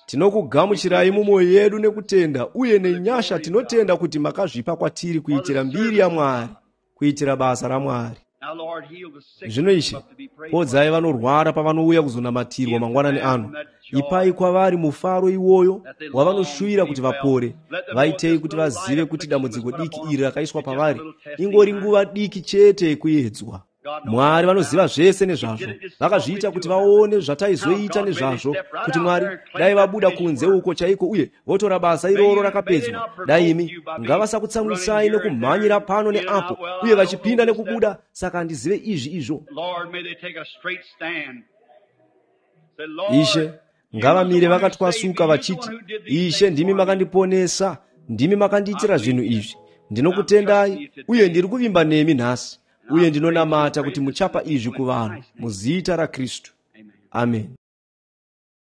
Speaker 1: Tinokugamuchirai mumwoyo yedu nekutenda uye nenyasha. Tinotenda kuti makazvipa kwatiri kuitira mbiri yaMwari, kuitira basa raMwari. Zvino Ishe, podzai vanorwara pavanouya kuzonamatirwa mangwanani ano. Ipai kwavari mufaro iwoyo wavanoshuvira kuti vapore. Vaitei kuti vazive kuti dambudziko diki iri rakaiswa pavari ingori nguva diki chete yekuedzwa. Mwari vanoziva zvese nezvazvo. Vakazviita kuti vaone zvataizoita nezvazvo, kuti Mwari dai vabuda kunze uko chaiko uye votora basa iroro rakapedzwa. Dai imi ngavasakutsamwisai nekumhanyira pano neapo uye vachipinda nekubuda, saka handizive izvi izvo. Ishe, ngavamire vakatwasuka vachiti, Ishe, ndimi makandiponesa, ndimi makandiitira zvinhu izvi. Ndinokutendai uye ndiri kuvimba nemi nhasi, uye ndinonamata kuti muchapa izvi kuvanhu muzita raKristu. Amen.